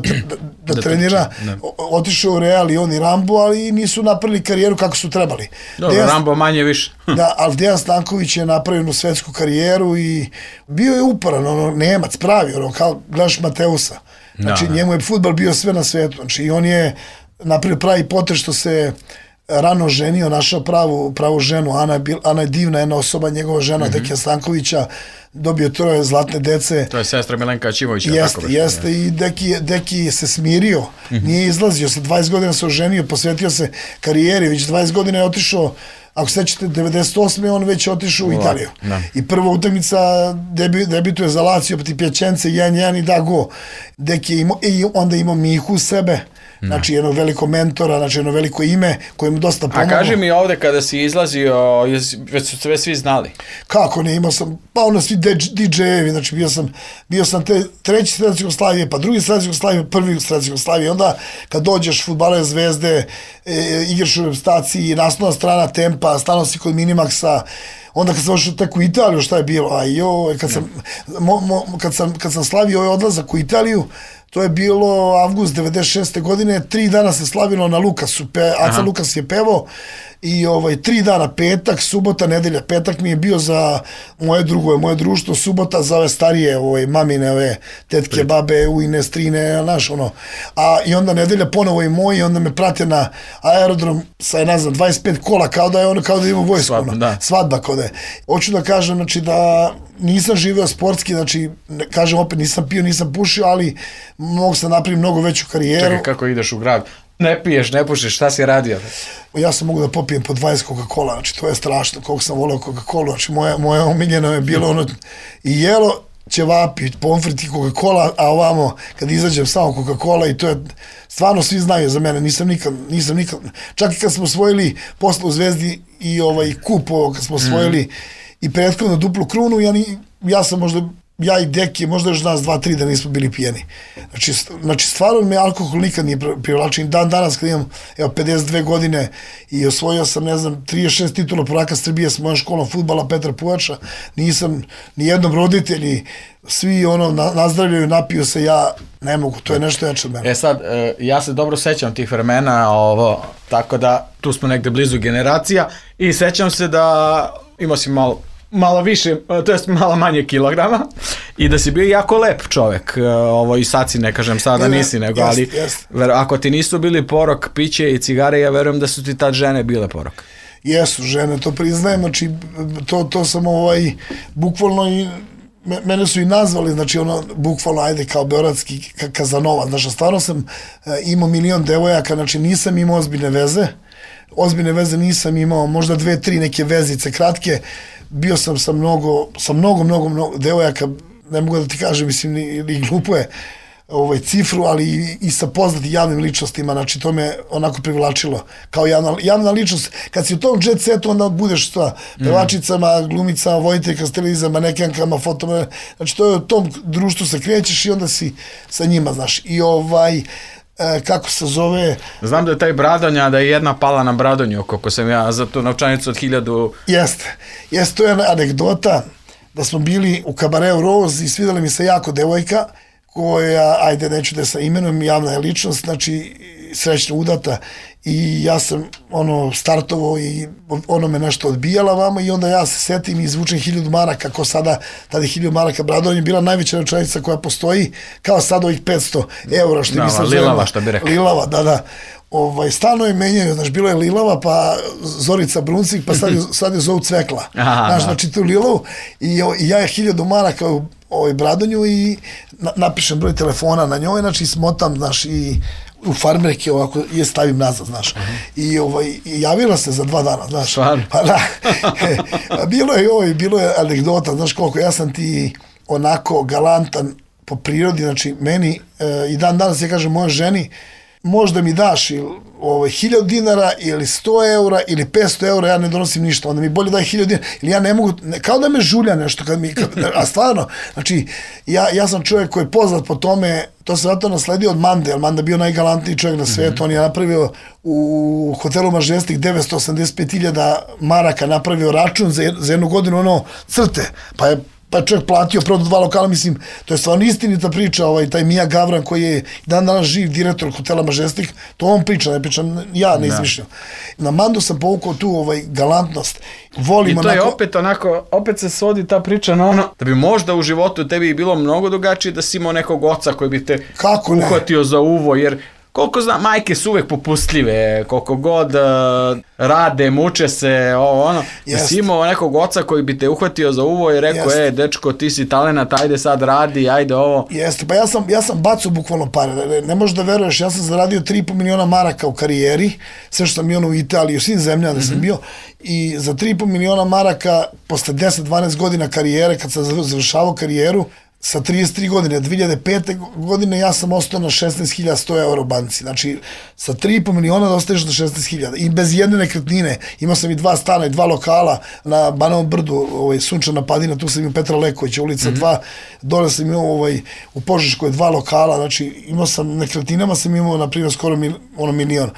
da trenira, otišao u Real i on i Rambo, ali nisu napravili karijeru kako su trebali. Dobro, Rambo manje više. Da, ali Dejan Stanković je napravio svetsku karijeru i bio je uporan, Nemac, pravi, kao gledaš Mateusa. Znači njemu je fudbal bio sve na svetu, znači i on je napravio pravi potez što se rano ženio, našao pravu ženu. Ana je divna jedna osoba, njegova žena Dekija Stankovića, dobio 3 zlatne dece. To je sestra Milenka Ćimovića. Jeste, i Deki se smirio, nije izlazio, sa 20 godina se oženio, posvetio se karijeri, već 20 godina je otišao, ako sećate, 98. on već otišao u Italiju. I prva utakmica debituje za Lazio protiv Piacenze 1-1 i da go. Deki je imao, i onda imao Mihu sebe, znači jedno veliko mentora, znači jedno veliko ime koje mu dosta pomoglo. A kaži mi ovde kada si izlazio, već su sve svi znali? Kako ne, imao sam, pa ono svi DJ-evi, znači bio sam treći strelac Jugoslavije, pa drugi strelac Jugoslavije, prvi strelac Jugoslavije, onda kad dođeš fudbalere Zvezde, igraš u reprezentaciji, naslovna strana Tempa, stano si kod Minimaxa, onda kad sam ošao tek u Italiju, šta je bilo? Kad sam slavio ovaj odlazak u Italiju, to je bilo avgust 96. godine, 3 dana se slavilo na Lukasu, Aca Lukas je pevao i 3 dana, petak, subota, nedelja. Petak mi je bio za moje drugove, moje društvo, subota za ove starije, mamine, ove tetke, babe, ujne, strine, znaš, ono. I onda nedelja ponovo i moji, onda me prate na aerodrom sa, ne znam, 25 kola, kao da ima vojsko, svadba kao da je. Hoću da kažem, znači, da nisam živeo sportski, znači, kažem opet, nisam pio, nisam pušio, ali mogu sam napraviti mnogo veću karijeru. Čekaj, kako ideš u grad? Ne piješ, ne pušiš, šta si radio? Ja sam mogu da popijem po 20 Coca-Cola, znači to je strašno, koliko sam volao Coca-Cola, znači moje omiljeno je bilo ono i jelo, ćevapi, pomfrit i Coca-Cola, a ovamo kad izađem samo Coca-Cola i to je, stvarno svi znaju za mene, nisam nikad, čak i kad smo osvojili posle u Zvezdi i kup kad smo osvojili i prethodno duplu krunu, ja sam možda, ja i Deki, možda još nas 2-3 da nismo bili pijeni. Znači stvarno me alkohol nikad nije privlačen. Dan danas kad imam 52 godine i osvojio sam, ne znam, 36 titula prvaka Srbije s mojom školom fudbala Petra Pujača, nisam ni jednom roditelji, svi nazdravljaju, napiju se, ja ne mogu, to je nešto jače od mene. Sad, ja se dobro sećam tih vremena, tako da tu smo negde blizu generacija i sećam se da imao si malo više, to jest malo manje kilograma i da si bio jako lep čovek. I sad si, ne kažem sada nisi, nego, ali ako ti nisu bili porok, piće i cigare, ja verujem da su ti tad žene bile porok. Jesu žene, to priznajem, znači to sam bukvalno i mene su i nazvali, znači bukvalno ajde kao beogradski Kazanova, znači stvarno sam imao milion devojaka, znači nisam imao ozbiljne veze nisam imao, možda 2-3 neke vezice kratke, bio sam sa mnogo devojaka, ne mogu da ti kažem, mislim, i glupo je cifru, ali i sa poznatim javnim ličnostima, znači to me onako privlačilo, kao javna ličnost. Kad si u tom jet setu, onda budeš sa pevačicama, glumicama, voditeljka s televizijama, manekenkama, fotoma, znači to je u tom društvu se krećeš i onda si sa njima, znaš, i kako se zove... Znam da je taj Bradonja, da je jedna pala na Bradonju, kako sam ja za tu novčanicu od 1000... Jeste, to je anegdota, da smo bili u Kabareu Rose i svidjela mi se jako devojka, koja, ajde, neću da sa imenom, javna je ličnost, znači srećno udata, i ja sam startovao i me nešto odbijala vama i onda ja se setim i izvučem 1000 maraka, kao sada, tada je 1000 maraka Bradonja bila najveća novčanica koja postoji, kao sad ovih 500 eura, što mi se zove. Lilava, što bi rekao. Lilava, da. Stalno je menjaju, znači bilo je Lilava, pa Zorica Bruncik, pa sad je zovu Cvekla. Znači tu Lilavu i ja je 1000 maraka Bradonju i napišem broj telefona na njoj, znači smotam, znaš, i u farmerke ovako je stavim nazad, znaš. I javila se za 2 dana, znaš. Pa da. Bilo je anegdota, znaš koliko, ja sam ti onako galantan po prirodi, znači meni i dan danas ja kažem moja ženi, možda mi daš 1000 dinara ili 100 eura ili 500 eura, ja ne donosim ništa, onda mi bolje daj 1000 dinara, ili ja ne mogu, kao da me žulja nešto, a stvarno, znači, ja sam čovjek koji je poznat po tome, to se zato nasledio od Mande, jer Manda bio najgalantniji čovjek na svetu, on je napravio u hotelu Majestic 985.000 maraka, napravio račun za 1 godinu, crte, pa je čovjek platio prodao 2 lokala, mislim, to je stvarno istinita priča, taj Mija Gavran koji je dan danas živ direktor hotela Majestic, to on priča, ne pričam, ja ne izmišljam. Na Mandu sam povukao tu galantnost. I to je opet onako, opet se svodi ta priča na ono, da bi možda u životu tebi bilo mnogo drugačije da si imao nekog oca koji bi te uhvatio za uvo, jer koliko znam, majke su uvek popustljive, koliko god rade, muče se, ono. Si imao nekog oca koji bi te uhvatio za uvo i rekao, dečko, ti si talenat, ajde sad radi, ajde ovo. Jeste, pa ja sam bacao bukvalno pare, ne možeš da veruješ, ja sam zaradio 3,5 miliona maraka u karijeri, sve što sam bio u Italiji, u svim zemljama da sam bio, i za 3,5 miliona maraka, posle 10-12 godina karijere, kad sam završavao karijeru, sa 33 godine, 2005. godine ja sam ostao na 16.100 eura u banci. Znači, sa 3,5 miliona da ostaješ na 16.000. I bez jedne nekretnine. Imao sam i 2 stana i 2 lokala na Banovom brdu, Sunčana Padina, tu sam imao Petra Lekovića, ulica 2. Dole sam imao u Požeškoj 2 lokala. Znači, imao sam nekretninama, sam imao, na primjer, skoro milion.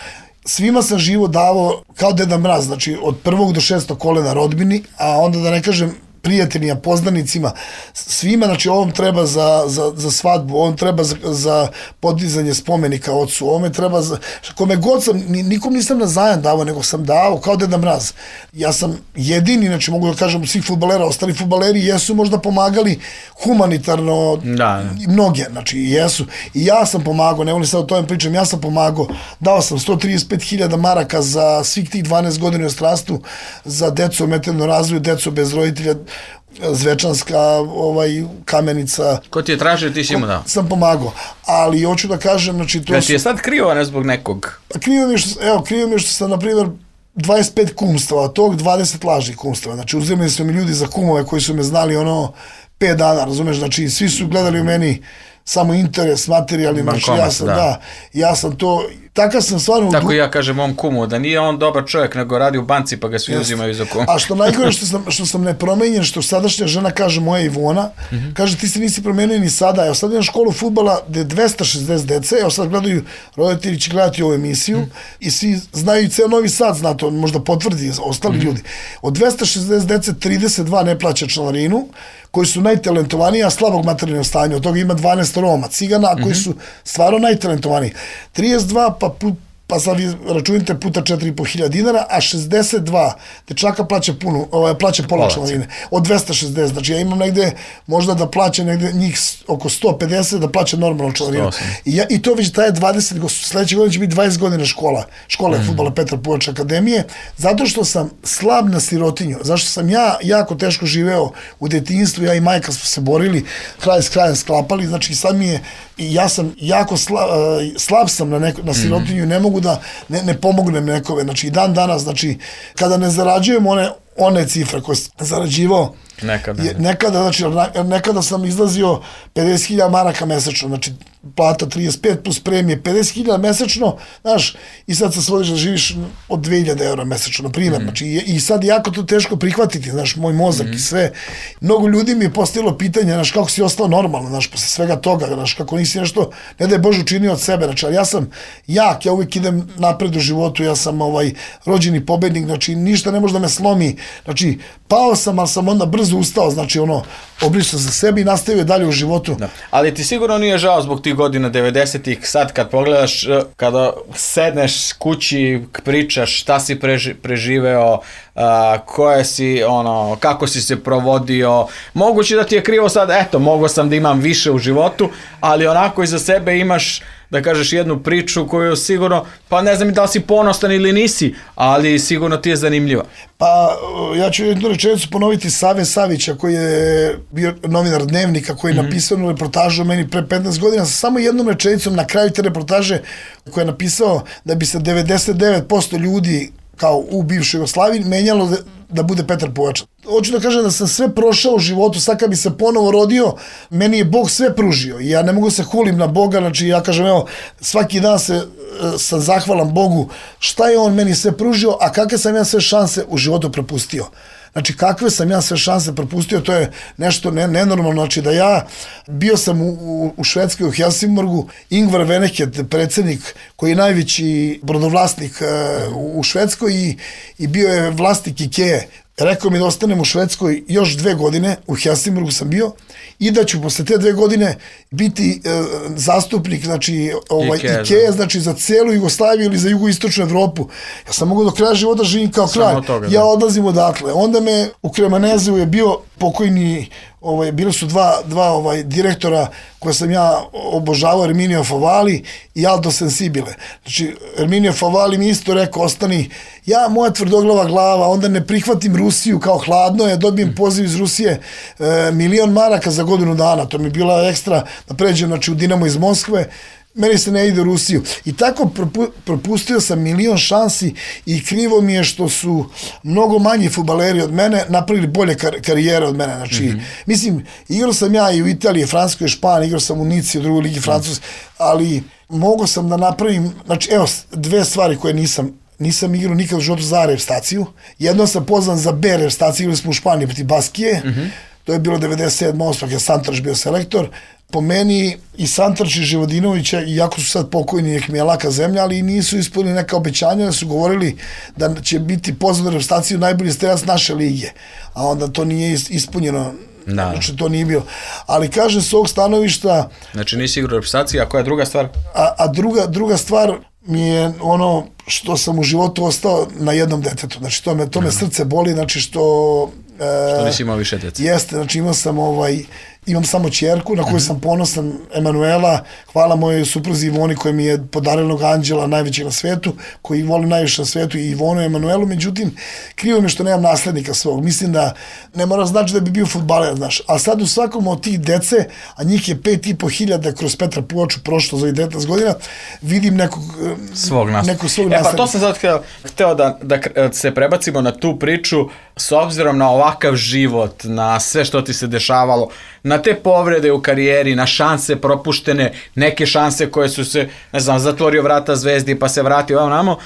Svima sam živo davao kao Deda Mraz, znači od 1. do 6. kolena rodbini, a onda da ne kažem prijateljima, poznanicima, svima, znači ovom treba za svadbu, ovom treba za podizanje spomenika ocu, ovome treba za... Kome god sam, nikom nisam na zajam davao, nego sam davao kao Deda Mraz. Ja sam jedini, znači mogu da kažem, svih fudbalera, ostali fudbaleri jesu možda pomagali humanitarno, mnoge, znači jesu. I ja sam pomagao, ne volim sad o tome pričam, ja sam pomagao, dao sam 135.000 maraka za svih tih 12 godina u inostranstvu, za decu ometenu razvoju, decu bez roditelja, Zvečanska, Kamenica. Ko ti je tražio, ti si imao dao? Sam pomagao, ali hoću da kažem, znači to... Da ti je sad krivo, ne zbog nekog? Krivo mi je što sam, na primjer, 25 kumstava, od tog 20 lažnih kumstava, znači uzimali su mi ljudi za kumove koji su me znali 5 dana, razumeš, znači svi su gledali u meni samo interes, materijalni, znači ja sam to, takav sam stvarno... Tako ja kažem mom kumu, da nije on dobar čovjek, nego radi u banci pa ga svi uzimaju za kumu. A što najgore što sam nepromenjen, što sadašnja žena kaže, moja Ivona, kaže ti se nisi promenio ni sada, evo sad imam školu fudbala gde je 260 dece, evo sad gledaju, roditelji će gledati ovu emisiju i svi znaju i ceo Novi Sad, zna to, možda potvrdi ostali ljudi. Od 260 dece 32 ne plaća članarinu, koji su najtalentovaniji, a slabog materijalnog stanja. Od toga ima 12 Roma, Cigana, koji su stvarno najtalentovaniji. 32, pa sad vi računite puta 4.500 dinara, a 62 dečaka plaća pola članarine. Od 260, znači ja imam negde, možda da plaća negde njih oko 150, da plaća normalno članarinu. I to već traje 20, sledeće godine će biti 20 godina škola fudbala Petra Puvača akademije, zato što sam slab na sirotinju, zašto sam ja jako teško živeo u detinjstvu, ja i majka smo se borili, kraj s krajem sklapali, znači sad mi je, ja sam jako slab sam na sirotinju, ne mogu da ne pomognem nekome, znači i dan danas, znači kada ne zarađujem one cifre koje sam zarađivao nekada, znači nekada sam izlazio 50.000 maraka mesečno, znači plata 35 plus premije, 50.000 mesečno, znaš, i sad se svodiš da živiš od 2.000 eura mesečno, na primjer, znači i sad jako to teško prihvatiti, znaš, moj mozak i sve. Mnogo ljudi mi je postavilo pitanje, znaš, kako si ostao normalno, znaš, posle svega toga, znaš, kako nisi nešto, ne da je Bože učinio od sebe, znači, ali ja sam jak, ja uvijek idem napred u životu, ja sam rođeni pobednik, znači, ništa ne može da me slomi, znači, pao sam, ali sam onda brzo ustao, znači, obrišao za sebe i nastavio dalje u životu. Ali ti sigurno nije žao zbog tih godina 90-ih, sad kad pogledaš, kada sedneš kući, pričaš šta si preživeo, koje si, kako si se provodio, moguće da ti je krivo sad, eto, mogao sam da imam više u životu, ali onako iza sebe imaš, da kažeš, jednu priču koju sigurno, pa ne znam da li si ponosan ili nisi, ali sigurno ti je zanimljiva. Pa ja ću jednu rečenicu ponoviti Save Savića, koji je bio novinar Dnevnika, koji je napisao jednu reportažu o meni pre 15 godina, sa samo jednom rečenicom na kraju te reportaže, koji je napisao da bi se 99% ljudi kao u bivšoj Jugoslaviji menjalo da bude Petar Puvača. Hoću da kažem da sam sve prošao u životu, sad kad bi se ponovo rodio, meni je Bog sve pružio i ja ne mogu se hulim na Boga, znači ja kažem, evo, svaki dan sam zahvalan Bogu šta je on meni sve pružio, a kakve sam ja sve šanse u životu propustio. Znači, kakve sam ja sve šanse propustio, to je nešto nenormalno, znači da ja bio sam u Švedskoj, u Helsingborgu, Ingvar Veneket, predsjednik koji je najveći brodovlasnik u Švedskoj i bio je vlasnik Ikea. Rekao mi da ostanem u Švedskoj još 2 godine, u Helsingborgu sam bio, i da ću posle te 2 godine biti zastupnik, znači, Ikea, znači za celu Jugoslaviju ili za jugoistočnu Evropu. Ja sam mogu do kraja života živim kao kralj. Ja odlazim odatle. Onda me u Kremanezeu je bio pokojni, bili su dva direktora koje sam ja obožavao, Erminio Favali i Aldo Sensibile. Znači, Erminio Favali mi isto rekao, ostani, moja tvrdoglava glava, onda ne prihvatim Rusiju kao hladno, ja dobijem poziv iz Rusije, 1.000.000 maraka za godinu dana, to mi je bila ekstra, da pređem, znači, u Dinamo iz Moskve, meni se ne ide u Rusiju. I tako propustio sam 1.000.000 šansi i krivo mi je što su mnogo manji fudbaleri od mene napravili bolje karijere od mene. Znači, mislim, igrao sam ja i u Italiji, Francuskoj, Španiji, igrao sam u Nici, u drugoj ligi Francuske, ali mogao sam da napravim, znači, evo, dve stvari koje nisam igrao nikad u životu za reprezentaciju. Jedno sam pozvan za B reprezentaciju, igrali smo u Španiji protiv Baskije, to je bilo 97-8, kad je Santrač bio selektor. Po meni i Santrač i Živodinovića, iako su sad pokojni, nek mi je laka zemlja, ali nisu ispunili neka obećanja, da su govorili da će biti pozvan u reprezentaciju najbolji strelac naše lige, a onda to nije ispunjeno. Znači, to nije bilo. Ali kažem, s ovog stanovišta... Znači, nisi igrao u reprezentaciji, a koja je druga stvar? A druga stvar mi je ono što sam u životu ostao na jednom detetu. Znači, to me srce boli, znači što nisi imao više djece. Jeste, znači imam samo ćerku na koju sam ponosan, Emanuela, hvala mojoj supruzi Ivoni koja mi je podarila anđela najvećeg na svetu, koji volim najviše na svetu, i Ivonu i Emanuelu, međutim, krivo mi što nemam naslednika svog. Mislim da ne mora znači da bi bio fudbaler, znaš, a sad u svakom od tih dece, a njih je 5.500 kroz Petra Puvaču prošlo za 19 godina, vidim nekog svog naslednika. Pa to sam sad hteo da se prebacimo na tu priču, s obzirom na ovakav život, na sve što ti se dešavalo, na te povrede u karijeri, na šanse propuštene, neke šanse koje su se, ne znam, zatvorio vrata Zvezdi pa se vratio ovamo,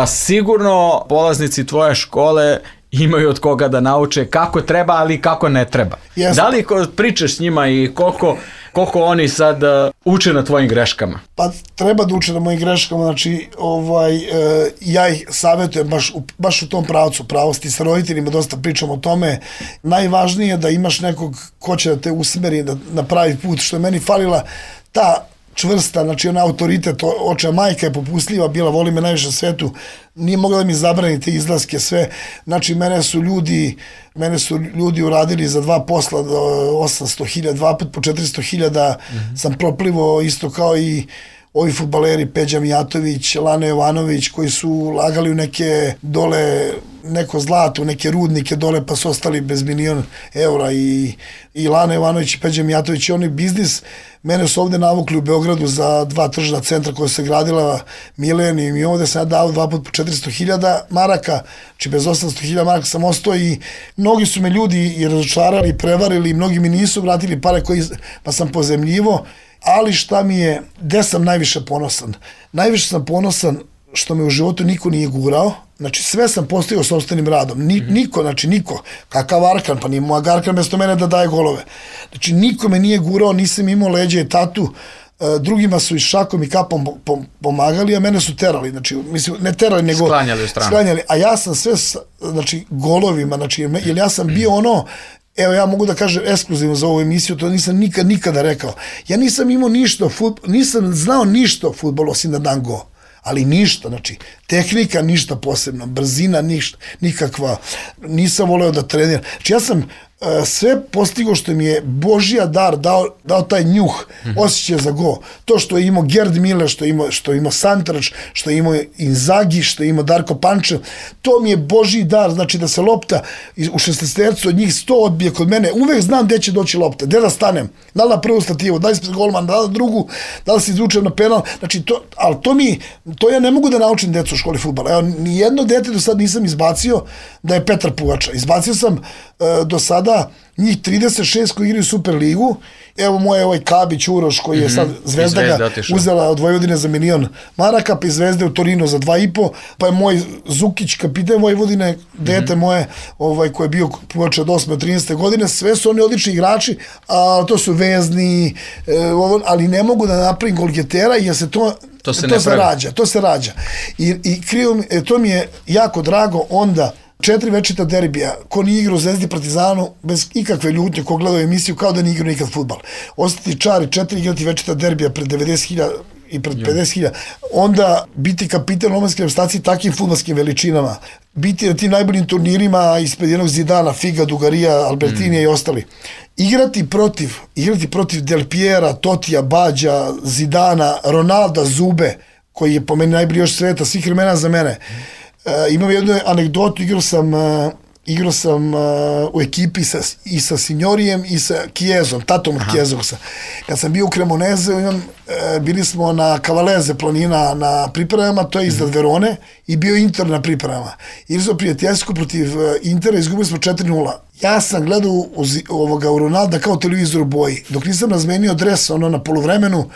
sigurno polaznici tvoje škole imaju od koga da nauče kako treba, ali kako ne treba. Yes. Da li pričaš s njima i koliko oni sad uče na tvojim greškama? Pa treba da uče na mojim greškama, znači ja ih savjetujem baš u tom pravcu pravosti, sa roditeljima dosta pričam o tome. Najvažnije je da imaš nekog ko će da te usmeri na pravi put, što je meni falila ta čvrsta, znači ona autoritet, očeva majka je popustljiva bila, voli me najviše na svetu, nije mogla da mi zabrani te izlaske sve, znači mene su ljudi uradili za 2 posla 800.000, 2 put po 400.000 sam proplivo, isto kao i ovi fudbaleri Peđa Mijatović, Lane Jovanović, koji su ulagali u neke dole, neko zlato, neke rudnike dole, pa su ostali bez 1.000.000 eura, i Lane Jovanović i Peđa Mijatović, oni biznis. Mene su ovde navukli u Beogradu za 2 tržna centra koja se gradila Milenijum, i ovde sam ja dao 2 put po 400.000 maraka, znači bez 800.000 maraka sam ostao, i mnogi su me ljudi i razočarali, prevarili, mnogi mi nisu vratili pare pa sam pozemljivo. Ali šta mi je, gde sam najviše ponosan? Najviše sam ponosan što me u životu niko nije gurao, znači sve sam postigao sopstvenim radom, niko, kakav Arkan, pa nije moj Arkan mesto mene da daje golove, znači niko me nije gurao, nisam imao leđe i tatu, drugima su i šakom i kapom pomagali, a mene su terali, znači, mislim, ne terali, nego sklanjali, a ja sam sve, znači, golovima, znači, jer ja sam bio ono, evo, ja mogu da kažem ekskluzivno za ovu emisiju, to nisam nikada rekao. Ja nisam imao ništa, nisam znao ništa o fudbalu osim da dam go. Ali ništa, znači, tehnika ništa posebno, brzina nikakva, nisam voleo da treniram. Znači, ja sam sve postigao što mi je Božija dar dao taj njuh, osjećaj za go. To što je imao Gerd Miller, što je imao Santrač, što je imao Inzaghi, što je imao Darko Pančev, to mi je Božji dar, znači da se lopta u 16 od njih 100 odbije kod mene, uvek znam gde će doći lopta, gde da stanem, da li na prvu stativu, da li ispred golmana, da li na drugu, da li se izvučem na penal, znači ali to ja ne mogu da naučim decu u školi fudbala. Evo, nijedno dete do sad nisam izbacio da je Petar Pugača. Izbacio sam do sada njih 36 koji igraju Superligu. Evo moj Kabić Uroš koji je sad Zvezda ga uzela od Vojvodine za 1.000.000 maraka, pa iz Zvezde u Torino za 2,5, pa je moj Zukić, kapiten Vojvodine, dete moje koji je bio Pugača od 8. 13. godine, sve su oni odlični igrači, a to su vezni, ali ne mogu da napravim golgetera jer se to se rađa. I krivo, to mi je jako drago onda 4 večita derbija, ko nije igrao u Zvezdi Partizanu, bez ikakve ljutnje, ko gledao emisiju, kao da nije igrao nikad fudbal. Ostati čari 4 igrati večita derbija pred 90.000 i pred 50.000, onda biti kapitan omladinske reprezentacije takvim fudbalskim veličinama, biti na tim najboljim turnirima ispred jednog Zidana, Figa, Dugarija, Albertinija i ostali. Igrati protiv Del Piera, Totija, Bađa, Zidana, Ronalda, Zube, koji je po meni najbolji još sveta, svih vremena za mene. Imam jednu anegdotu, igrao sam u ekipi i sa Signorijem i sa Chiezom, tatom od Chiezovsa. Kad sam bio u Cremoneze, bili smo na Cavalese planina na pripremama, to je iznad Verone, i bio Inter na pripremama. Igrao sam prijateljsko protiv Intera, izgubili smo 4-0. Ja sam gledao u Ronalda kao televizor u boji. Dok nisam razmenio dres na poluvremenu,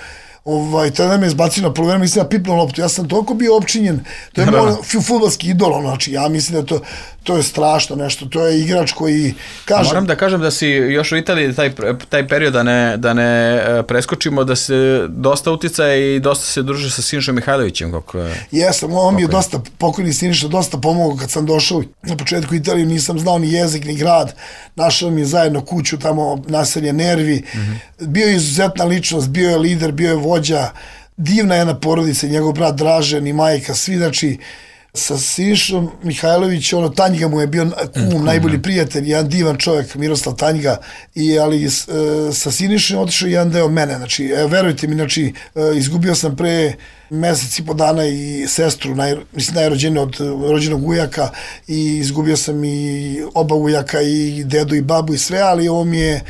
tada me izbacio na polovreme, mislim da pipnuo loptu. Ja sam toliko bio opčinjen, to je moj fudbalski idol, znači ja mislim da to je strašno nešto, to je igrač koji kaže... Moram da kažem da si još u Italiji taj period da ne preskočimo, da se dosta uticaja i dosta se druži sa Sinišom Mihajlovićem. Jesam, on mi je dosta, pokojni Siniša, dosta pomogao kad sam došao na početku Italije, nisam znao ni jezik, ni grad, našao mi je zajedno kuću, tamo naselje Nervi, bio je izuzetna ličnost, bio je lider, bio je vođa, divna jedna porodica, njegov brat Dražen i majka, svi, znači, sa Sinišom Mihajlović, Tanjga mu je bio kum, najbolji prijatelj, jedan divan čovjek, Miroslav Tanjga, ali sa Sinišom je otišao jedan deo mene, znači, verujte mi, znači, izgubio sam pre mesec i po dana i sestru, najrođeniju od rođenog ujaka, i izgubio sam i oba ujaka, i dedu i babu i sve, ali ovo mi je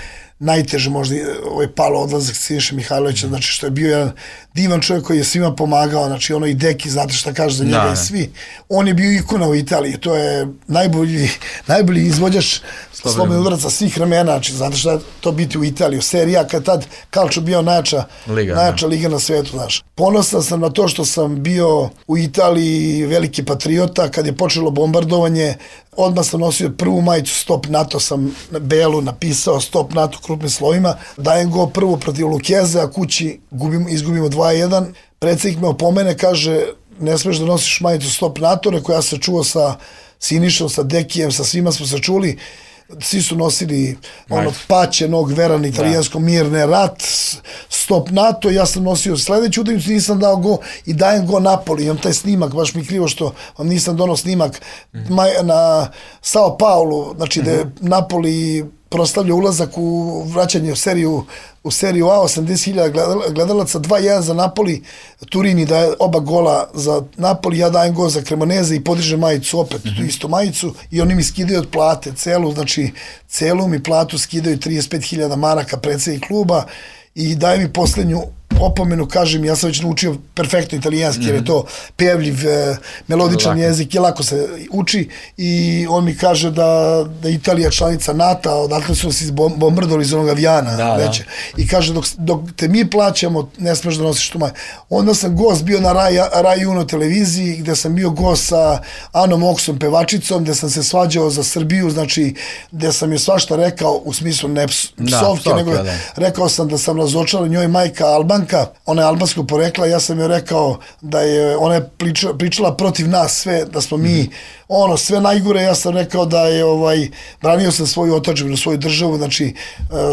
najteže možda palo odlazak Siniše Mihajlovića, znači što je bio jedan divan čovjek koji je svima pomagao, znači i Deki, znate šta kaže za njega i svi. On je bio ikona u Italiji, to je najbolji izvođač slobodnih udaraca svih vremena, znači znate šta je to biti u Italiji, serija kad tad Calcio bio najjača liga na svetu, znaš. Ponosan sam na to što sam bio u Italiji veliki patriota, kad je počelo bombardovanje, odmah sam nosio prvu majicu Stop NATO, sam na belu napisao Stop NATO krupnim slovima, dajem go prvo protiv Lukeze, a kući izgubimo 2-1, predsjednik me opomene, kaže, ne smeš da nosiš majicu Stop NATO, rekao, ja sam čuo sa Sinišom, sa Dekijem, sa svima smo se čuli, svi su nosili paćenog, veran italijansko, mirne, rat, Stop NATO, ja sam nosio sledeću utakmicu, nisam dao go i dajem go Napoli, imam taj snimak, baš mi krivo što vam nisam donao snimak na Sao Paulo, znači da je Napoli proslavlja ulazak u vraćanje u seriju A, 80.000 gledalaca, 2-1 za Napoli, Turini daje oba gola za Napoli, ja dajem gol za Cremoneze i podižem majicu opet, tu istu majicu, i oni mi skidaju od plate celu mi platu skidaju 35.000 maraka predsjednik kluba i daje mi poslednju opomenu, kažem, ja sam već naučio perfektno italijanski, jer je to pevljiv, melodičan jezik, je lako se uči, i on mi kaže da Italija članica NATO, odatle su nas bombardovali iz onog avijana veće, i kaže dok te mi plaćamo, ne smeš da nosiš tu maju. Onda sam gost bio na Rai Uno televiziji, gde sam bio gost sa Anom Oksom, pevačicom, gde sam se svađao za Srbiju, znači, gde sam je svašta rekao, u smislu ne psovke, nego rekao sam da sam razočarao, njoj majka Albanka, ona je albanskog porekla, ja sam joj rekao da je, ona je pričala protiv nas sve, da smo mi sve najgore, ja sam rekao da je branio sam svoju otadžbinu, svoju državu, znači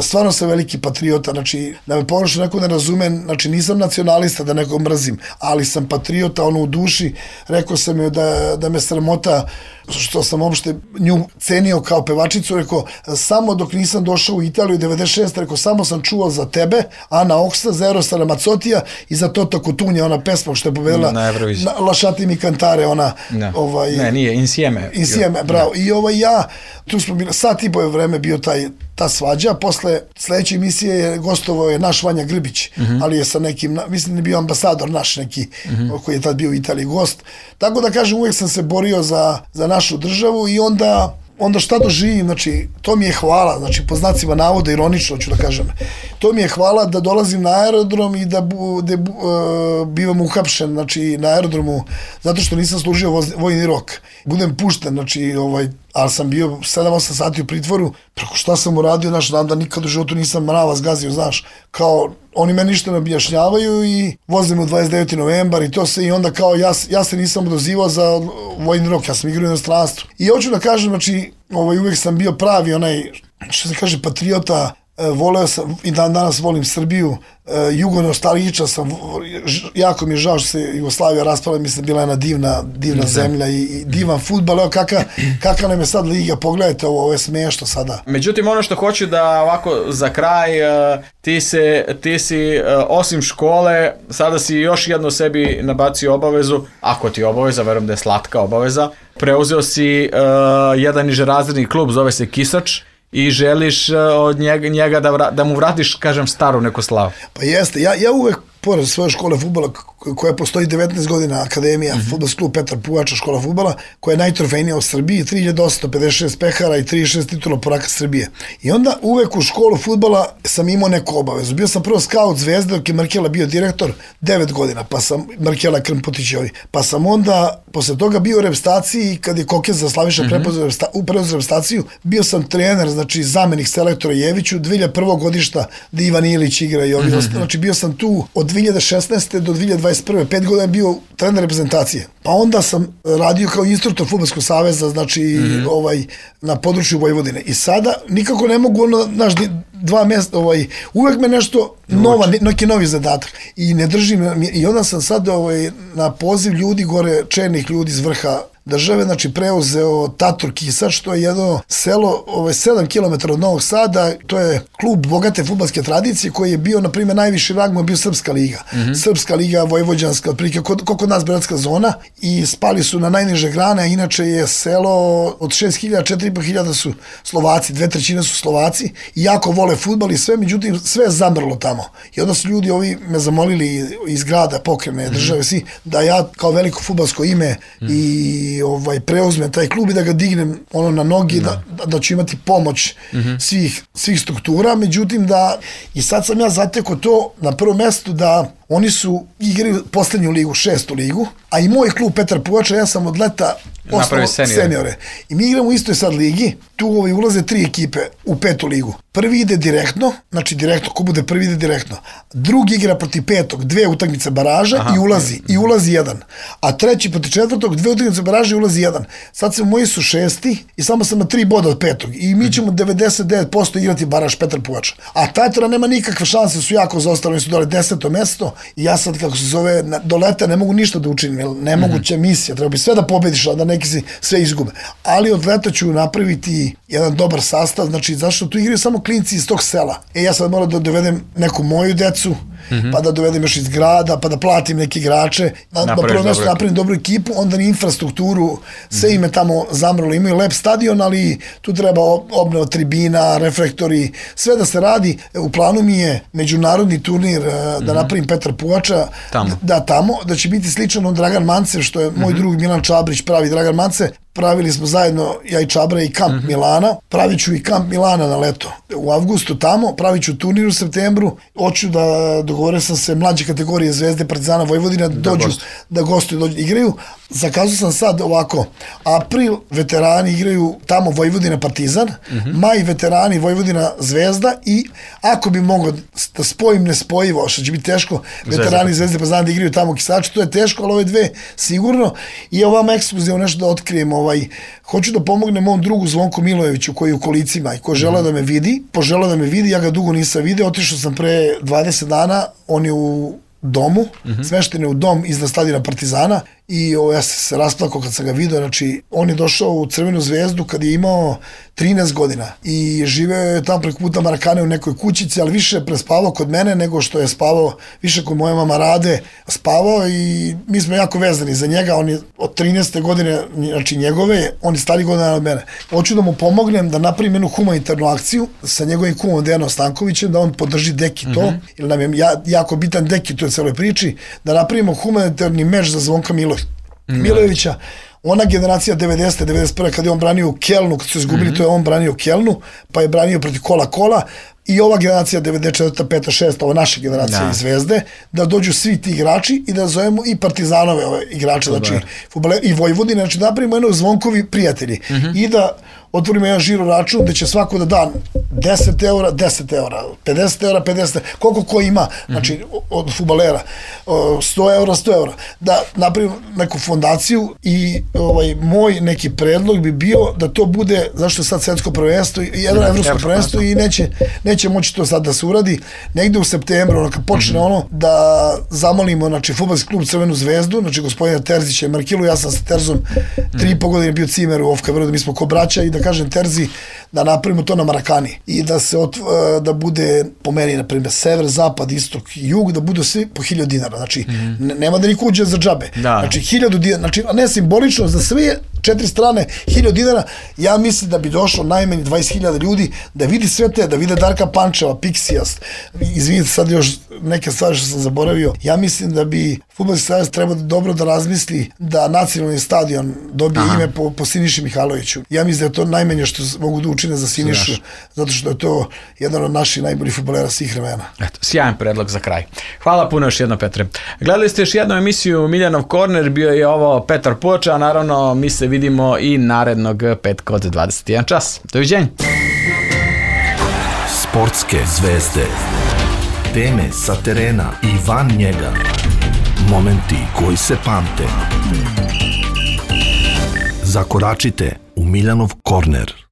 stvarno sam veliki patriota, znači da me pogrešno neko ne razume, znači nisam nacionalista da nekog mrzim, ali sam patriota u duši, rekao sam joj da me sramota što sam uopšte nju cenio kao pevačicu, rekao, samo dok nisam došao u Italiju 96, rekao, samo sam čuo za tebe, Ana Oksa, za Erostara Macotija i za Tota Cotunja, ona pesma što je pobedila Lasciatemi mi cantare, ona ne, nije, Insieme, bravo, i ja, tu smo bili, sat i boje vreme bio ta svađa, posle sledeće emisije je gostovao je naš Vanja Grbić, ali je sa nekim, mislim da je bio ambasador naš neki, koji je tad bio u Italiji gost, tako da kažem, uvijek sam se borio za našu državu, i onda šta doživim, znači, to mi je hvala, znači, po znacima navoda, ironično ću da kažem, to mi je hvala da dolazim na aerodrom i da bivam uhapšen, znači, na aerodromu, zato što nisam služio vojni rok. Budem pušten, znači, ali sam bio 7-8 sati u pritvoru, preko šta sam uradio, znaš, znam da nikad u životu nisam mrava zgazio, znaš, kao, oni me ništa ne objašnjavaju i vozim u 29. novembar i to se, i onda kao ja se nisam odazivao za vojni rok, ja sam igrao u inostranstvu. I hoću da kažem, znači, uvijek sam bio pravi što se kaže patriota, voleo sam i dan danas volim Srbiju, jugonostalgičan sam, jako mi je žao što se Jugoslavija raspala, mislim bila je jedna divna zemlja i divan fudbal, evo kakav nam je sad liga, pogledajte ovo je smiješno sada. Međutim, ono što hoću da ovako za kraj, ti si osim škole, sada si još jedno sebi nabacio obavezu, ako ti je obaveza, verujem da je slatka obaveza, preuzeo si jedan nižerazredni klub, zove se Kisač, i želiš od njega da mu vratiš, kažem, staru neku slavu. Pa jeste, ja uvek, pored svoje škole fudbala, koja postoji 19 godina, Akademija, fudbalski klub Petar Puvača, škola fudbala, koja je najtrofejnija u Srbiji, 3856 pehara i 36 titula poraka Srbije. I onda uvek u školu fudbala sam imao neku obavezu. Bio sam prvo skaut Zvezde, dok je Markela bio direktor, 9 godina, pa sam, Markela Krmpotićevi, pa sam onda, posle toga bio u reprezentaciji, kad je Kokez za Slaviša preuzeo reprezentaciju, bio sam trener, znači zamenik selektora Jeviću, 2001. godišta da Ivan Ilić igra i ovi znači bio sam tu od 2016. do 2021. 5 godina bio trener reprezentacije. Pa onda sam radio kao instruktor Fudbalskog saveza, znači na području Vojvodine. I sada nikako ne mogu dva mjesta, uvek me nešto neki novi zadatak. I ne držim, i onda sam sad na poziv ljudi gore, čelnih ljudi iz vrha države, znači preuzeo Tator Kisač, to je jedno selo 7 km od Novog Sada, to je klub bogate fudbalske tradicije koji je bio, na primjer, najviši rang mu je bio Srpska liga. Srpska liga, Vojvođanska, otprilike kod nas Beogradska zona, i spali su na najniže grane, a inače je selo od 6.000, 4.500 su Slovaci, 2/3 su Slovaci i jako vole fudbal i sve, međutim sve je zamrlo tamo. I onda su ljudi me zamolili iz grada, pokrene države, svi, da ja kao veliko fudbalsko ime i preuzmem taj klub i da ga dignem na nogi, da ću imati pomoć svih struktura, međutim i sad sam ja zatekao to na prvom mestu da oni su igrali poslednju ligu, 6. ligu, a i moj klub Petar Puvača, ja sam od leta osnovao seniore. I mi igramo u istoj sad ligi, tu ulaze 3 ekipe u 5. ligu. Prvi ide direktno, znači direktno, ko bude prvi ide direktno. Drugi igra protiv 5. 2 utakmice baraža i ulazi 1. A treći protiv 4. 2 utakmice baraža i ulazi 1. Sad moji su 6. i samo sam na 3 boda od 5. I mi ćemo 99% igrati baraž Petar Puvača. A Tatora nema nikakve šanse, su jako zaostali, oni su dole 10. mesto. I ja sad, kako se zove, do leta ne mogu ništa da učinim, jer nemoguća misija, treba bi sve da pobediš, a da neki si sve izgube. Ali od leta ću napraviti jedan dobar sastav, znači zašto tu igraju samo klinci iz tog sela. Ja sad moram da dovedem neku moju decu, pa da dovedem još iz grada, pa da platim neke igrače, na prvo mjesto napravim dobru ekipu, onda ni infrastrukturu, sve ime tamo zamrlo, imaju lep stadion, ali tu treba obnova tribina, reflektori, sve da se radi. U planu mi je međunarodni turnir da napravim Petar Puvača, da će biti sličan od Dragan Mance, što je moj drug Milan Čabrić pravi Dragan Mance. Pravili smo zajedno, ja i Čabra, i kamp Milana. Pravit ću i kamp Milana na leto. U avgustu tamo, pravit ću turnir u septembru. Hoću da dogovorio sam se mlađe kategorije Zvezde, Partizana, Vojvodina, da gostuju, igraju. Zakazao sam sad ovako, april veterani igraju tamo Vojvodina, Partizan, maj veterani Vojvodina, Zvezda, i ako bi mogao da spojim nespojivo, što će biti teško, veterani Zvezde, Partizana da igraju tamo u Kisaču, to je teško, ali ove dve sigurno. I ovam ekskluzivno nešto da otkrijem, hoću da pomognem mom drugu Zvonku Milojeviću koji je u kolicima i koji žele da me vidi, poželeo da me vidi, ja ga dugo nisam vidio, otišao sam pre 20 dana, on je u domu, smešten je u dom iznad stadiona Partizana, i ja sam se rasplakao kad sam ga vidio. Znači, on je došao u Crvenu Zvezdu kad je imao 13 godina i živeo je tamo preko puta Marakane u nekoj kućici, ali više prespavao kod mene nego što je spavao, više kod moje mama Rade spavao, i mi smo jako vezani za njega. On je od 13. godine, znači njegove, on je stari godina od mene. Hoću da mu pomognem da napravim jednu humanitarnu akciju sa njegovim kumom Dejanom Stankovićem, da on podrži Deki to, jer nam je jako bitan Deki to je celoj priči, da napravimo humanitarni meč za Zvonka Milojevića. Ona generacija 90. 91. kad je on branio u Kelnu, kad su izgubili, to je on branio u Kelnu, pa je branio protiv Kola, i ova generacija 94. 5. 6. ova naša generacija iz Zvezde, da dođu svi ti igrači i da zovemo i Partizanove ove igrače, znači i Vojvodine, znači napravimo jedno Zvonkovi prijatelji i da otvorimo jedan žiro račun gde će svako da da 10 eura, 10 eura, 50 eura, 50 eura, koliko ko ima, znači od fudbalera, 100 eura, 100 eura, da napravim neku fondaciju i moj neki predlog bi bio da to bude, zašto je sad svetsko prvenstvo i jedno evropsko prvenstvo i neće moći to sad da se uradi, negde u septembru, kad počne da zamolimo, znači, fudbalski klub Crvenu zvezdu, znači gospodina Terzića i Markilu, ja sam sa Terzom 3,5 godine bio cimer u Ofka Beogradu, mi smo ko braća i da kažem Terzi da napravimo to na Marakani i da se da bude po meni, na primjer, sever, zapad, istok, jug, da budu svi po 1000 dinara, znači nema da niko uđe za džabe, znači 1000 dinara, znači a ne simbolično za sve 4 strane 1000 dinara, ja mislim da bi došlo najmanje 20.000 ljudi da vidi sve te, da vide Darka Pančeva, Pixijas, izvinite sad još neke stvari što sam zaboravio, ja mislim da bi Fudbalski savez treba dobro da razmisli da nacionalni stadion dobije ime po Siniši Mihajloviću. Ja mislim da je to najmanje što mogu da učine za Sinišu, zato što je to jedan od naših najboljih fudbalera svih vremena. Eto, sjajan predlog za kraj. Hvala puno još jedno, Petre. Gledali ste još jednu emisiju Miljanov korner, bio je ovo Petar Poča, a naravno mi se vidimo i narednog petka od 21 čas. Doviđenja. Sportske zvezde, teme sa terena i van njega, momenti koji se pamte. Zakoračite u Miljanov korner.